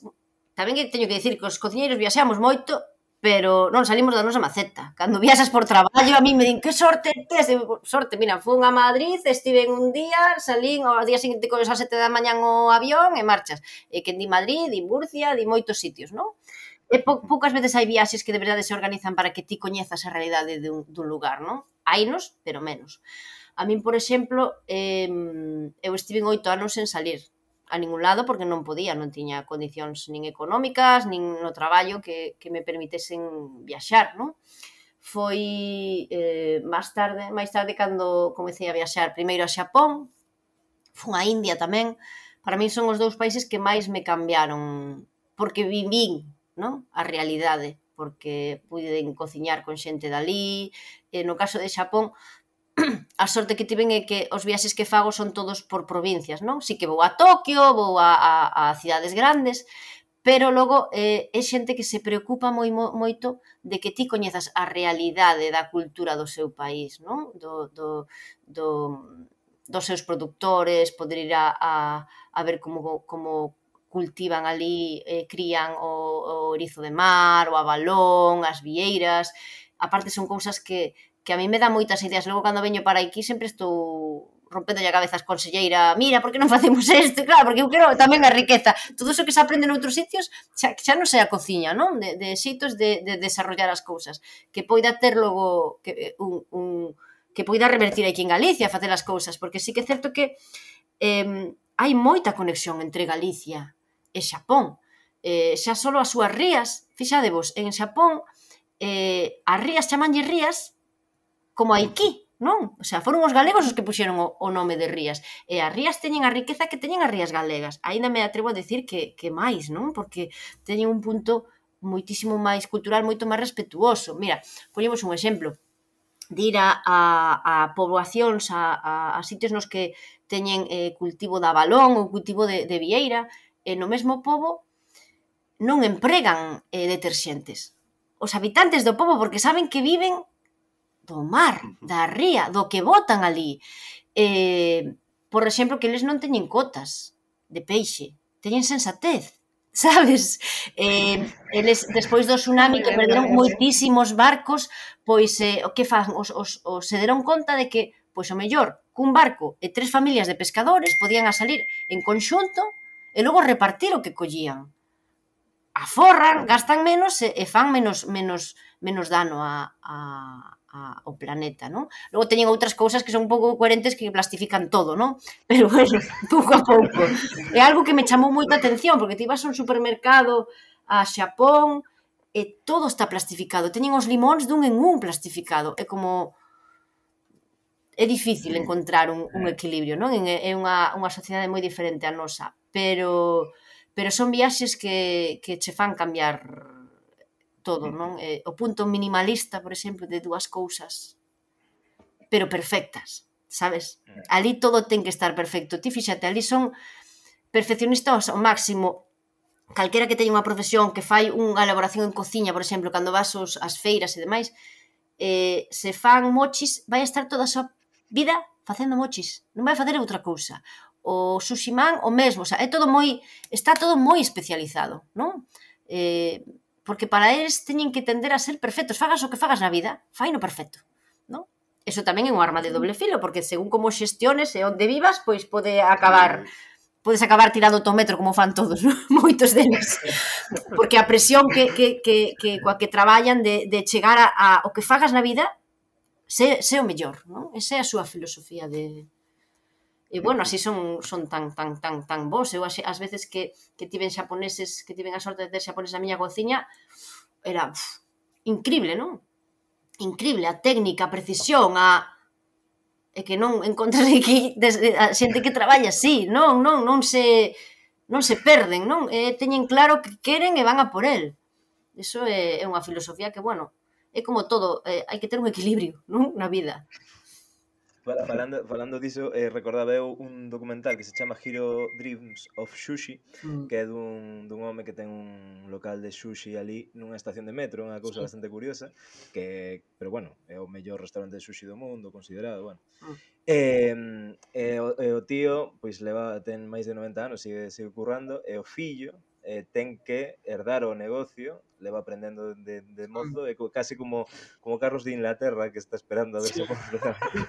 tamén que teño que dicir que os cociñeiros viaxamos moito, pero non salimos da nosa maceta. Cando viaxas por traballo, a mí me din, que sorte tes? Sorte, mira, fun a Madrid, estive un día, salín, ao día seguinte con as sete da mañán o avión e marchas. E que di Madrid, di Murcia, di moitos sitios, non? E pou, poucas veces hai viaxes que de verdade se organizan para que ti coñezas a realidade dun, dun lugar, non? Hainos, pero menos. A min, por exemplo, eh, eu estive oito anos sen salir a ningún lado porque non podía, non tiña condicións nin económicas, nin no traballo que, que me permitesen viaxar, non? Foi eh, máis tarde, máis tarde cando comecei a viaxar primeiro a Xapón, fun a India tamén. Para min son os dous países que máis me cambiaron, porque vivín, non? A realidade, porque puiden cociñar con xente dali. E no caso de Xapón, a sorte que tiven é que os viaxes que fago son todos por provincias, non? Si que vou a Tokio, vou a, a, a cidades grandes, pero logo eh, é xente que se preocupa moi, moito de que ti coñezas a realidade da cultura do seu país, non? Do, do, do, dos seus produtores, poder ir a, a, a ver como, como cultivan ali, eh, crían o, o erizo de mar, o abalón, as vieiras. Aparte son cousas que que a mí me dá moitas ideas. Logo, cando veño para aquí, sempre estou rompendo a cabeza as conselleira, mira, por que non facemos isto? Claro, porque eu quero tamén a riqueza. Todo iso que se aprende noutros sitios, xa, xa non sei a cociña, non? De, de xeitos de, de desarrollar as cousas. Que poida ter logo que, un, un, que poida revertir aquí en Galicia, facer as cousas, porque sí que é certo que eh, hai moita conexión entre Galicia e Xapón. Eh, xa só as súas rías, fixadevos, en Xapón, eh, as rías chamanlle rías como aquí, non? O sea, foron os galegos os que puxeron o, o nome de rías. E as rías teñen a riqueza que teñen as rías galegas. Aínda me atrevo a decir que, que máis, non? Porque teñen un punto moitísimo máis cultural, moito máis respetuoso. Mira, poñemos un exemplo de ir a, a, a poboacións, a, a, a sitios nos que teñen eh, cultivo de abalón ou cultivo de, de vieira, e no mesmo pobo non empregan eh, deterxentes. Os habitantes do pobo, porque saben que viven do mar, da ría, do que botan ali. Eh, por exemplo, que eles non teñen cotas de peixe, teñen sensatez, sabes? Eh, eles, despois do tsunami que perderon moitísimos barcos, pois, eh, o que fan? Os, os, os se deron conta de que, pois, o mellor, cun barco e tres familias de pescadores podían a salir en conxunto e logo repartir o que collían. Aforran, gastan menos e, e fan menos, menos, menos dano a, a ao planeta, non? Logo teñen outras cousas que son un pouco coherentes que plastifican todo, non? Pero, bueno, pouco a pouco. É algo que me chamou moita atención, porque ti vas a un supermercado a Xapón e todo está plastificado. Teñen os limóns dun en un plastificado. É como... É difícil encontrar un, un equilibrio, non? É unha, unha sociedade moi diferente a nosa. Pero, pero son viaxes que, que che fan cambiar... todo, non? Eh, o punto minimalista, por exemplo, de dúas cousas, pero perfectas, sabes? Ali todo ten que estar perfecto. Ti fíxate, ali son perfeccionistas ao máximo. Calquera que teña unha profesión que fai unha elaboración en cociña, por exemplo, cando vas aos, as feiras e demais, eh, se fan mochis, vai estar toda a súa vida facendo mochis. Non vai facer outra cousa. O sushi man, o mesmo. O sea, é todo moi... Está todo moi especializado, non? Eh... porque para eles teñen que tender a ser perfectos, fagas o que fagas na vida, fai no perfecto, non? Eso tamén é un arma de doble filo, porque según como xestiones e onde vivas, pois pode acabar, podes acabar tirando o metro como fan todos, non? Moitos deles. Porque a presión que, que, que, que coa que traballan de, de chegar a, a o que fagas na vida, sé, sé o mellor, non? Esa é a súa filosofía de... E, bueno, así son, son tan, tan, tan, tan bons. Eu, as veces que, que tiven xaponeses, que tiven a sorte de ter xaponeses na miña cociña, era uf, increíble, non? Increíble, a técnica, a precisión, a... É que non encontras aquí a xente que traballa así, non, non, non se non se perden, non? E teñen claro que queren e van a por el. Iso é, é unha filosofía que, bueno, é como todo, eh, hai que ter un equilibrio, non? Na vida. Falando, falando diso, eh, recordaba eu un documental que se chama Hero Dreams of Sushi, mm. que é dun, dun home que ten un local de sushi ali nunha estación de metro, unha cousa sí. bastante curiosa, que, pero bueno, é o mellor restaurante de sushi do mundo, considerado, bueno. Mm. E, e, o, e o tío, pois leva, ten máis de noventa anos, sigue, sigue currando, e o fillo eh, ten que herdar o negocio, leva aprendendo de, de mozo, e casi como, como Carlos de Inglaterra, que está esperando a ver se morre, el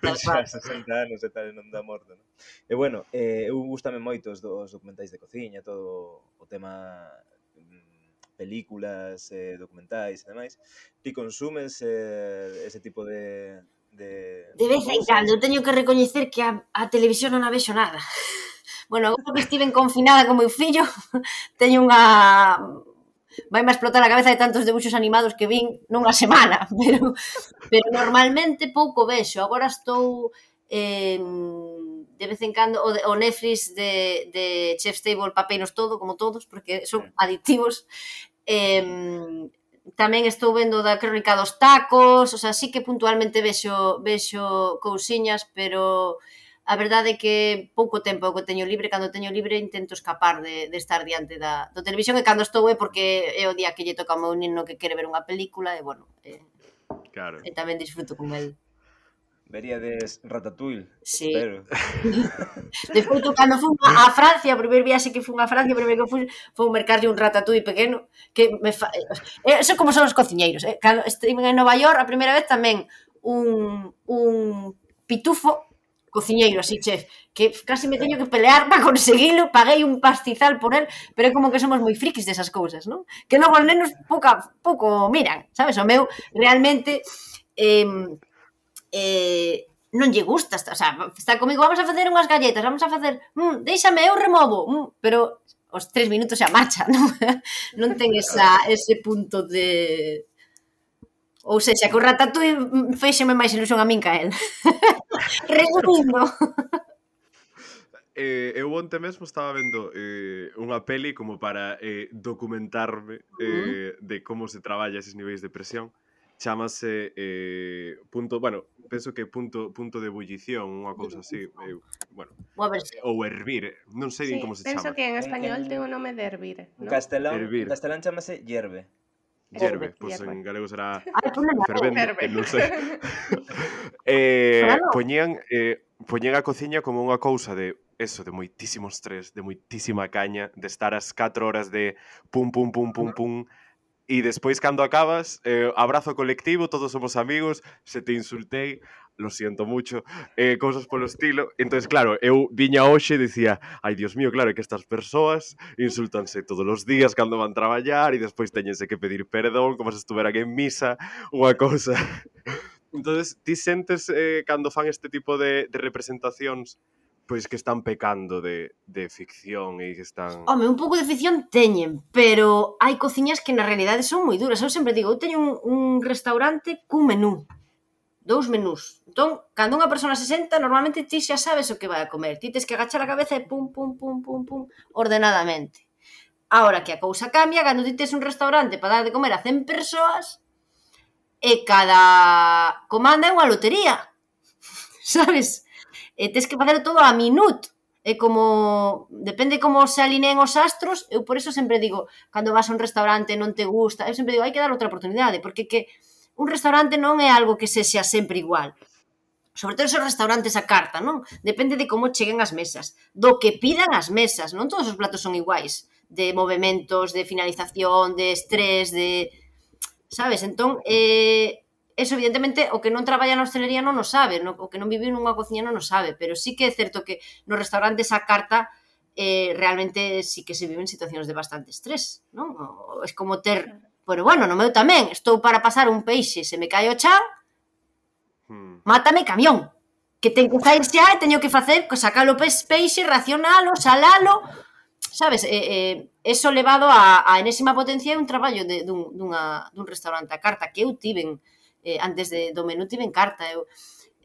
pensa sesenta anos e tal, e non dá morte, non? E bueno, eh, eu gustame moito os, os documentais de cociña, todo o tema películas, eh, documentais e demais. Ti consumes eh, ese tipo de, de... De vez en cando, eu teño que recoñecer que a, a televisión non a vexo nada. Bueno, agora que estiven confinada con meu fillo, teño unha... vai me explotar a cabeza de tantos debuxos animados que vin nunha semana, pero, pero normalmente pouco vexo. Agora estou... Eh, de vez en cando o, de, o Netflix de, de Chef's Table papeinos todo, como todos, porque son adictivos. Eh, tamén estou vendo da Crónica dos Tacos, o sea, sí que puntualmente vexo, vexo cousiñas, pero a verdade é que pouco tempo que teño libre, cando teño libre intento escapar de, de estar diante da do televisión, e cando estou é porque é o día que lle toca ao meu nino que quere ver unha película, e bueno, eh, Claro. e tamén disfruto con el. Veríades Ratatouille, Sí. espero. De feito, cando fui a Francia, o primeiro viaxe que fui a Francia, o primeiro que fui foi un mercarlle un ratatouille pequeno, que me fa... Eso como son os cociñeiros, eh? Cando estive en Nova York, a primeira vez tamén un, un pitufo cociñeiro, así, chef, que casi me teño que pelear para conseguilo, paguei un pastizal por él, pero é como que somos moi frikis desas cousas, non? Que logo os nenos pouca, pouco miran, sabes? O meu, realmente... Eh, eh, non lle gusta, o sea, está comigo, vamos a facer unhas galletas, vamos a facer, mm, déixame, eu removo, mm, pero os tres minutos xa marcha, non, non ten esa, ese punto de... Ou seja, que o ratatouille feixeme máis ilusión a min que a él. Resumindo. Eh, eu onte mesmo estaba vendo eh, unha peli como para eh, documentarme eh, de como se traballa eses niveis de presión. Chámase eh, punto, bueno, penso que punto punto de ebullición, unha cousa así, eu, bueno, ou hervir, non sei Sí, como se penso chama. que en En- español en- ten o nome de hervir, En ¿no? castelán, Hervir. en castelán chamase hierve. Hierve, Hierve, pois hierve. en galego será Ai, ponle na fervendo, Ferve. eh, non sei. eh, Claro. poñían, eh, poñían a cociña como unha cousa de eso, de moitísimo estrés, de moitísima caña, de estar as catro horas de pum, pum, pum, pum, pum, e despois cando acabas, eh, abrazo colectivo, todos somos amigos, se te insultei, lo siento mucho, eh, cousas polo estilo. Entonces, claro, eu viña hoxe e dicía, ai, Dios mío, claro, é que estas persoas insultanse todos os días cando van traballar e despois teñense que pedir perdón como se estuveran en misa, unha cousa. Entonces, ti sentes eh, cando fan este tipo de, de representacións pois que están pecando de, de ficción e que están... Home, un pouco de ficción teñen, pero hai cociñas que na realidade son moi duras. Eu sempre digo, eu teño un, un restaurante cun menú, dous menús. Entón, cando unha persona se senta, normalmente ti xa sabes o que vai a comer. Ti tes que agachar a cabeza e pum, pum, pum, pum, pum, ordenadamente. Ahora que a cousa cambia, cando ti tes un restaurante para dar de comer a cen persoas e cada comanda é unha lotería, sabes? E tes que facer todo a minut. É como, depende como se alineen os astros, eu por eso sempre digo, cando vas a un restaurante non te gusta, eu sempre digo, hai que dar outra oportunidade, porque que un restaurante non é algo que sexa sempre igual. Sobre todo esos restaurantes a carta, non? Depende de como cheguen as mesas, do que pidan as mesas, non todos os platos son iguais, de movementos, de finalización, de estrés, de... Sabes? Entón, eh... eso evidentemente o que non traballa na hostelería non o sabe, no, o que non vive nunha cociña non o sabe, pero sí que é certo que nos restaurantes a carta eh, realmente sí que se viven situacións de bastante estrés, non? O, es como ter, pero bueno, no meu tamén, estou para pasar un peixe, se me cae o chan, Hmm. mátame camión, que ten que sair xa e teño que facer, sacalo peixe, racionalo, salalo, sabes, eh, eh, eso levado a, a enésima potencia é un traballo de, dun, dunha, dun restaurante a carta que eu tiven Eh, antes de, do menú tiven carta, eu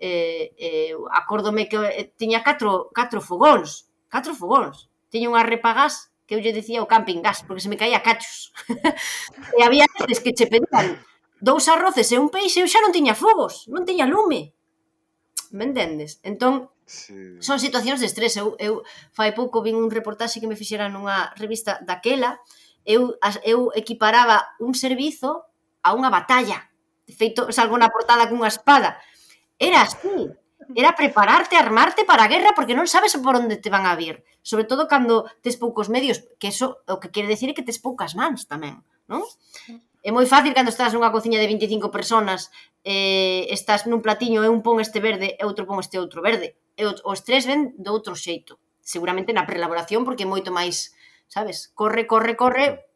eh, eh, acórdome que eh, tiña catro, catro fogóns, catro fogóns, tiña unha repagás que eu lle dicía o camping gas, porque se me caía cachos. E había veces que che pedían dous arroces e un peixe, eu xa non tiña fogos, non tiña lume. Me entendes? Entón, Sí. son situacións de estrés. Eu, eu fai pouco vin un reportaxe que me fixeran nunha revista daquela, eu, eu equiparaba un servizo a unha batalla. De feito, salgo na portada cunha espada. Era así. Era prepararte, armarte para a guerra porque non sabes por onde te van a vir. Sobre todo cando tes poucos medios, que eso o que quere decir é que tes poucas mans tamén, non? É moi fácil cando estás nunha cociña de vinte e cinco personas, eh, estás nun platiño e un pon este verde e outro pon este outro verde. E os tres ven do outro xeito. Seguramente na preelaboración porque é moito máis, sabes? Corre, corre, corre,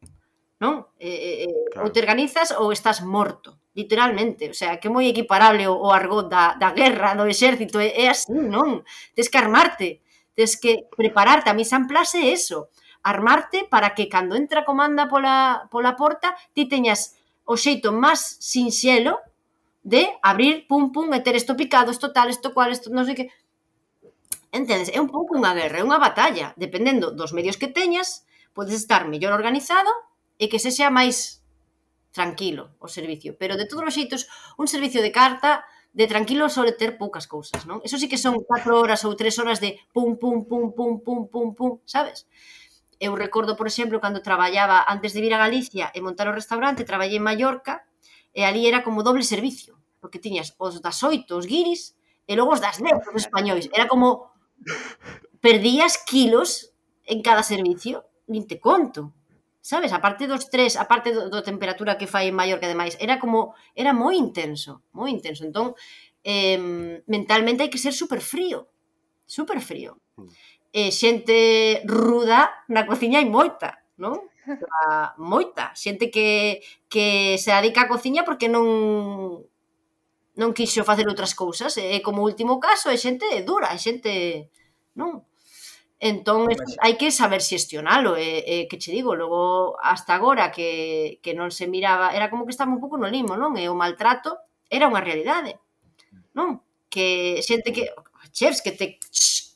non? Eh, eh, claro. Ou te organizas ou estás morto. literalmente, o sea, que é moi equiparable o, o argot da, da guerra, do exército, é, é así, non? Tes que armarte, tes que prepararte, a mise en place é eso, armarte para que cando entra a comanda pola, pola porta, ti teñas o xeito máis sinxelo de abrir, pum, pum, e ter isto picado, isto tal, isto cual, isto non sei que... Entendes? É un pouco unha guerra, é unha batalla, dependendo dos medios que teñas, podes estar mellor organizado e que sexa máis tranquilo o servicio, pero de todos os xeitos un servicio de carta de tranquilo sole ter poucas cousas, non? Eso sí que son catro horas ou tres horas de pum, pum, pum, pum, pum, pum, pum, sabes? Eu recordo, por exemplo, cando traballaba antes de vir a Galicia e montar o restaurante, traballei en Mallorca e ali era como doble servicio, porque tiñas os das oito, os guiris, e logo os das dez, os españois. Era como perdías kilos en cada servicio, nin te conto. Sabes, aparte dos tres, aparte do, do temperatura que fai en Mallorca e demais, era como, era moi intenso, moi intenso. Entón, eh, mentalmente hai que ser super frío, super frío. E xente ruda na cociña hai moita, non? A, moita. Xente que, que se dedica á cociña porque non non quixo facer outras cousas. E como último caso, é xente dura, é xente, non? Entón, hai que saber xestionalo, e, e que che digo, logo, hasta agora que, que non se miraba, era como que estaba un pouco no limo, non? E o maltrato era unha realidade, non? Que xente que, chefs que te,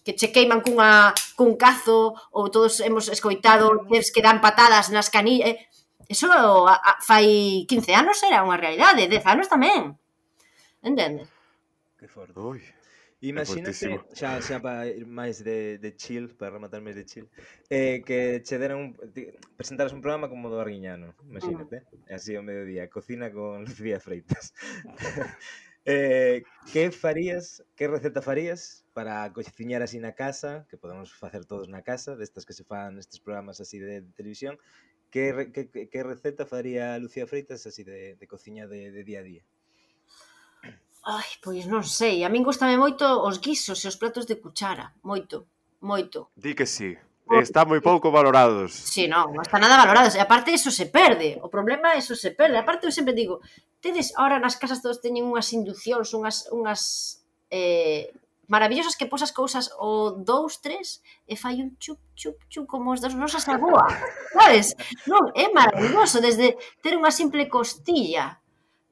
que che queiman cunha, cun cazo, ou todos hemos escoitado chefs que dan patadas nas canillas, eso a, a, fai quince anos era unha realidade, dez anos tamén, entende? Que forte. Ui, Imagínate, xa, xa para ir máis de, de chill, para rematar máis de chill, eh, que che deran un, presentaras un programa como do Arguiñano, imagínate, mm. así ao mediodía, cocina con Lucía Freitas. eh, que farías, que receta farías para cociñar así na casa, que podemos facer todos na casa, destas que se fan estes programas así de, de televisión, que, que, que receta faría Lucía Freitas así de, de cociña de, de día a día? Ai, pois non sei, a min gustame moito os guisos e os platos de cuchara, moito, moito. Di que sí, están moi pouco valorados. Sí, non, non está nada valorados, e aparte eso se perde, o problema é eso se perde, aparte eu sempre digo, tedes, ahora nas casas todos teñen unhas induccións, unhas, unhas eh, maravillosas que posas cousas o dous, tres, e fai un chup, chup, chup, como os das nosas agua, sabes? Non, é maravilloso, desde ter unha simple costilla,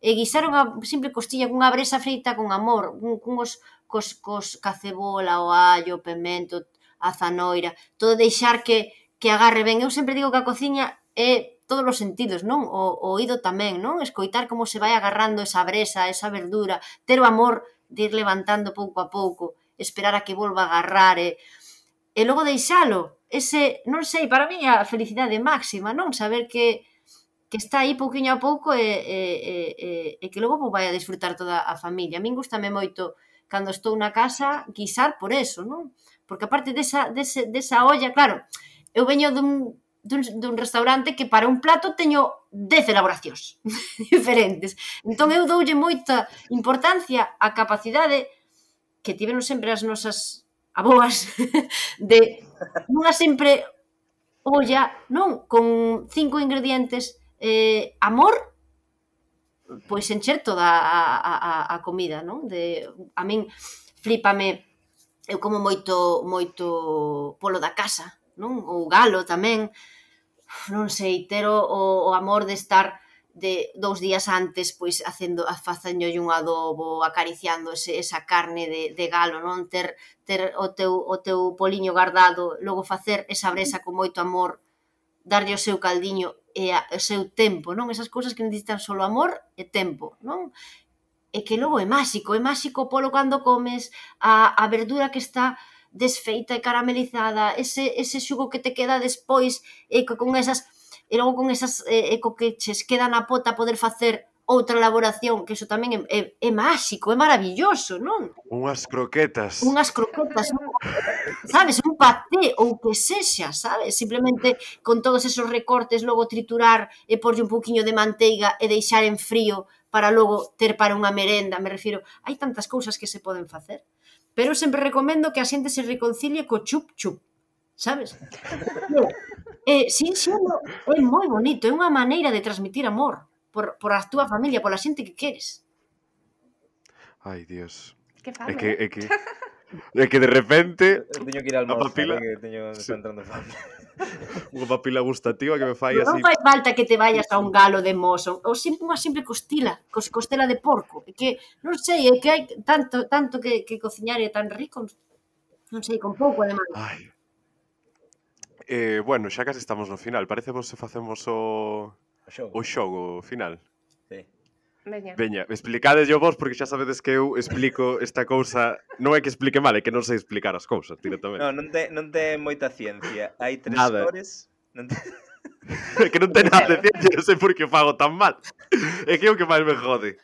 e guisar unha simple costilla cunha bresa feita con amor, cun os cos, cos cacebola, o allo, o pemento, a zanoira, todo deixar que, que agarre ben. Eu sempre digo que a cociña é todos os sentidos, non? O, o oído tamén, non? Escoitar como se vai agarrando esa bresa, esa verdura, ter o amor de ir levantando pouco a pouco, esperar a que volva a agarrar e, e logo deixalo. Ese, non sei, para mí a felicidade máxima, non? Saber que que está aí pouquiño a pouco e, e, e, e que logo vai a disfrutar toda a familia. A min gustame moito cando estou na casa guisar por eso, non? Porque aparte desa, dese, desa olla, claro, eu veño dun, dun, dun restaurante que para un plato teño dez elaboracións diferentes. Entón eu doulle moita importancia á capacidade que tiveron sempre as nosas aboas de nunha sempre olla, non? Con cinco ingredientes, eh, amor, pois encher toda a, a, a comida, non? De, a min flipame, eu como moito moito polo da casa, non? Ou galo tamén, non sei, ter o, o amor de estar de dous días antes pois facendo facéndolle un adobo, acariciando ese, esa carne de, de galo, non? Ter, ter o teu o teu poliño guardado, logo facer esa bresa con moito amor, darlle o seu caldiño e a, o seu tempo, non? Esas cousas que necesitan solo amor e tempo, non? E que logo é máxico, é máxico polo cando comes, a, a verdura que está desfeita e caramelizada, ese, ese xugo que te queda despois, e que con esas, e logo con esas, e, e co que ches queda na pota poder facer outra elaboración, que iso tamén é, é, é máxico, é maravilloso, non? Unhas croquetas. Unhas croquetas, un, sabes, un paté ou que sexa, sabes? Simplemente con todos esos recortes, logo triturar e porlle un pouquiño de manteiga e deixar en frío para logo ter para unha merenda, me refiro, hai tantas cousas que se poden facer. Pero sempre recomendo que a xente se reconcilie co chup chup, sabes? E, sin xelo, é moi bonito, é unha maneira de transmitir amor. por, por a túa familia, pola xente que queres. Ai, Dios. Que É fame, que, eh? é que, é que de repente Eu teño que ir a a almorzar, papila, eh, que teño, sí, está entrando fame. unha papila gustativa que me fai Non así. fai falta que te vayas a un galo de mozo, ou sempre unha simple costila, cos costela de porco. É que, non sei, é que hai tanto, tanto que, que cociñar é tan rico, non sei, con pouco ademais. Ai. Eh, bueno, xa casi estamos no final. Parece vos se facemos o O xogo. o xogo final. Sí. Veña. Veña, explicades yo vos porque xa sabedes que eu explico esta cousa, non é que explique mal, é que non sei explicar as cousas directamente. No, non te, non te moita ciencia. Hai tres Nada. cores. Non te... É que non ten nada de ciencia, non sei por que fago tan mal. É que é o que máis me jode.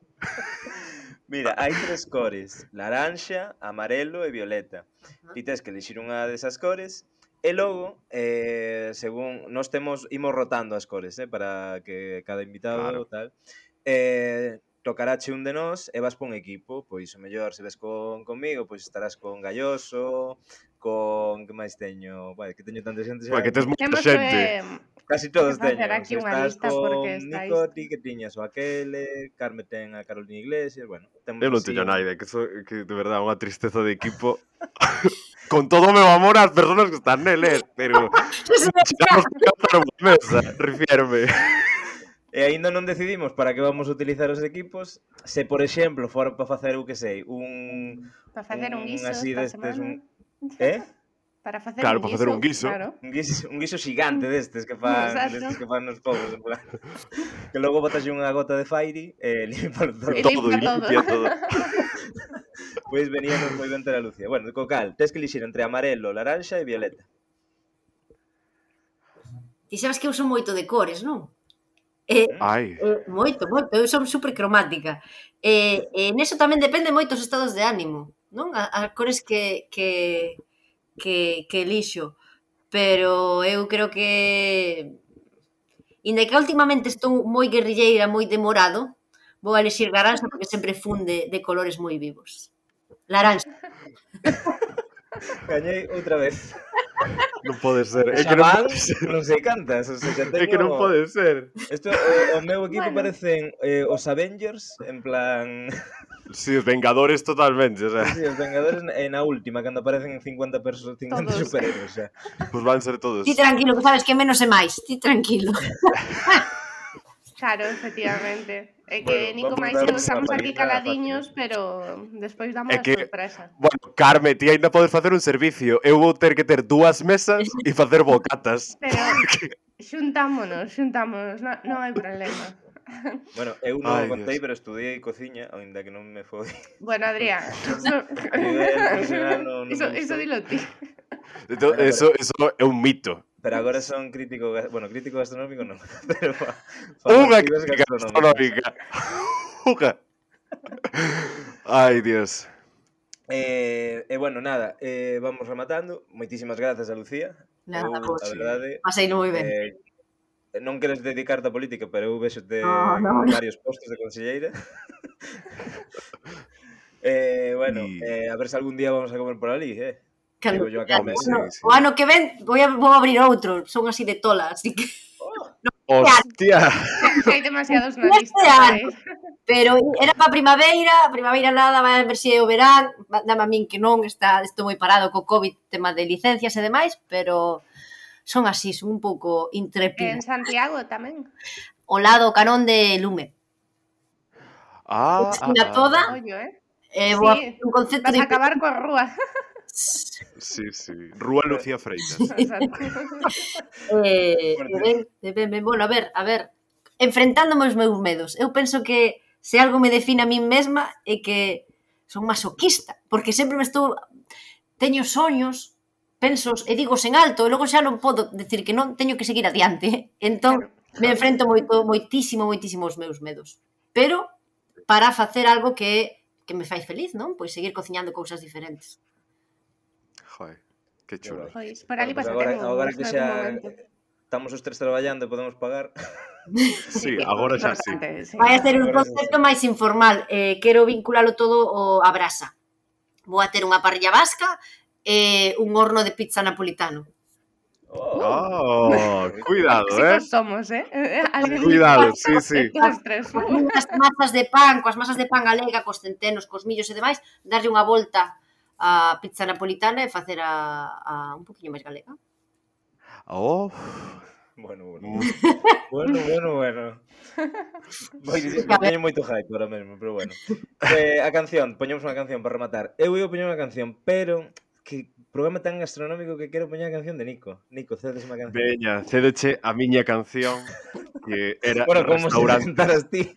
Mira, hai tres cores. Laranxa, amarelo e violeta. Ti tes que elixir unha desas cores. E logo, eh, según nos temos, imos rotando as cores, eh, para que cada invitado Claro. tal. Eh, tocarache un de nós e vas por un equipo. Pois o mellor, se ves con comigo, pois estarás con Galloso, con que máis teño, bueno, que teño tanta xente xa. Bueno, que tes moita Temos xente. que, Casi que todos facer teñen. aquí Se unha estás lista porque con estáis... Nicoti, que tiñas o Aquele, Carme ten a Carolina Iglesias, bueno, temos Eu non así teño un- naide, que, so, que de verdade unha tristeza de equipo. Con todo o meu amor ás persoas que están neles, pero chegamos a cantar unha mesa, refierme. E aínda non decidimos para que vamos a utilizar os equipos. Se, por exemplo, fora para facer, eu que sei, un... Para facer un guiso así esta destes, semana. un... Eh? Para facer Claro, un para guiso, facer un guiso. claro. Un guiso, un guiso xigante destes que fan, Exacto. destes que fan nos povos, en plan. Que logo botas unha gota de Fairy e limpalo todo. E Todo, limpia todo. limpia todo. Pois veníanos moi ben ter a Lucía. Bueno, co cal, tes que elixir entre amarelo, laranxa e violeta. Ti sabes que eu son moito de cores, non? E, Ai, e moito, moito, eu son super cromática. E, e neso tamén depende moitos estados de ánimo, non? A, a cores que, que, que, que elixo. Pero eu creo que... Inda que últimamente estou moi guerrilleira, moi demorado, vou a elixir laranxa porque sempre funde de colores moi vivos. Laranxa. Gañei outra vez. non pode ser. É Xa que non van, pode ser. non sei cantas, o sea, xa teño... É que non pode ser. Isto, o, o meu equipo Bueno. parecen eh, os Avengers, en plan... Si, os Vengadores totalmente, o sea, Sí, os Vengadores e na última, cando aparecen cincuenta persoas, cincuenta Todos. superhéroes, xa. pues van ser todos. Ti tranquilo, que sabes que menos é máis. Ti tranquilo. Claro, efectivamente. É que Bueno, Nico vamos máis dar eu unha estamos aquí paliza caladiños, fácil, pero despois damos É a que- sorpresa. Bueno, Carme, ti ainda podes facer un servicio. Eu vou ter que ter dúas mesas e facer bocatas. Pero xuntámonos, xuntámonos, non, non hai problema. Bueno, eu non Ai, o contei, Dios. pero estudiei cociña, aínda que non me foi. Bueno, Adrián, eso, A nivel profesional non, non eso, me eso gustou. dilo ti. Entón, Bueno, eso, eso é un mito. Pero agora son crítico, ga- bueno, crítico gastronómico non, pero fa, Unha actividades crítica gastronómicas. gastronómica. Unha. Ai, Dios. Eh, e bueno, nada, eh, vamos rematando. Moitísimas grazas a Lucía. Nada, Eu, vos. a verdade, Pasei moi ben. eh, non queres dedicarte á política, pero eu vexote No, no, en no. varios postos de conselleira. eh, bueno, Y- eh, a ver se algún día vamos a comer por ali, eh. Cando, Digo yo a o, Carmen. sí, ano, sí. o ano que ven vou, a, vou abrir outro. Son así de tola, así que... Hostia. Hai demasiados na Neste lista para ano. ir. Pero era para primavera, primavera nada, vai a ver se é o verán, dame a min que non, está, estou moi parado co COVID, tema de licencias e demais, pero son así, son un pouco En intrépida. Santiago tamén. O lado canón de Lume. Ah, ah, Esquina ah. toda, Ollo, eh? eh, vou a Sí, facer un concepto Vas de... a acabar coa rúa. Sí, sí. Rúa Lucía Freitas. Exacto. Eh, Fuerte. e ben, e ben, ben, bueno, a ver, a ver, enfrentándome aos meus medos, eu penso que se algo me define a min mesma é que son masoquista, porque sempre me estou, teño soños, pensos e digos en alto, e logo xa non podo decir que non, teño que seguir adiante, entón Claro. me enfrento moito, moitísimo, moitísimo aos meus medos, pero para facer algo que, que me fai feliz, non? Pois seguir cociñando cousas diferentes. Joder, qué chulo. Pois, por ali Bueno, pues agora, pasaremos agora que nalgún xa momento. estamos os tres traballando e podemos pagar. Sí, agora xa sí. Importante, sí. Vai a ser un Agora sí, concepto máis informal, eh, quero vinculalo todo ao, a brasa. Vou a ter unha parrilla vasca e un horno de pizza napolitano. Oh, cuidado, eh. Tóxicos somos, eh? Alguén Cuidado, dijo, sí, sí. Dos, tres, Coas uh. miñas masas de pan, coas masas de pan galega, cos centenos, cos millos e demais, darlle unha volta á pizza napolitana e facer a, a un poquinho máis galega. Oh. Bueno, bueno. Mm. Bueno, bueno, bueno. Moi, A ver. teño moito hype ahora mesmo, pero bueno. Eh, a canción, poñemos unha canción para rematar. Eu ia poñer unha canción, pero que programa tan gastronómico que quero poñer a canción de Nico. Nico, cedes unha canción. Veña, cédeche a miña canción que era Bueno, como se Restaurante. presentaras ti.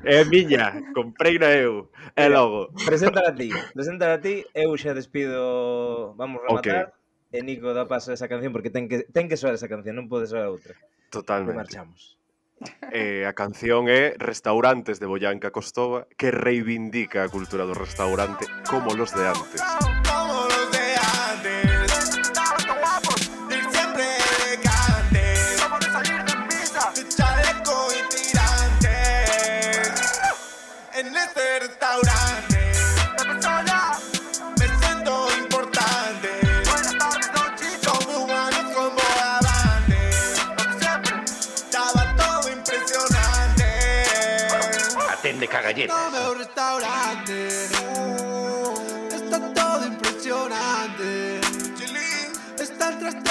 É miña, compreina eu. E Mira, logo. Preséntala a ti, preséntala a ti, eu xa despido, vamos rematar, Ok. e Nico dá paso a esa canción porque ten que, ten que soar esa canción, non pode soar outra. E Totalmente. marchamos. Eh, a canción é Restaurantes de Boyanca Costova, que reivindica a cultura do restaurante como los de antes. Como los de antes, ir siempre elegantes, como de salir de misa, de chaleco y tirantes. En este restaurante, la persona me siento importante. Buenas tardes, don Chicho. Son humanos como avantes, como siempre, estaba todo impresionante. Atende cagalletas. No veo restaurante, está todo impresionante. Chilín, está el traste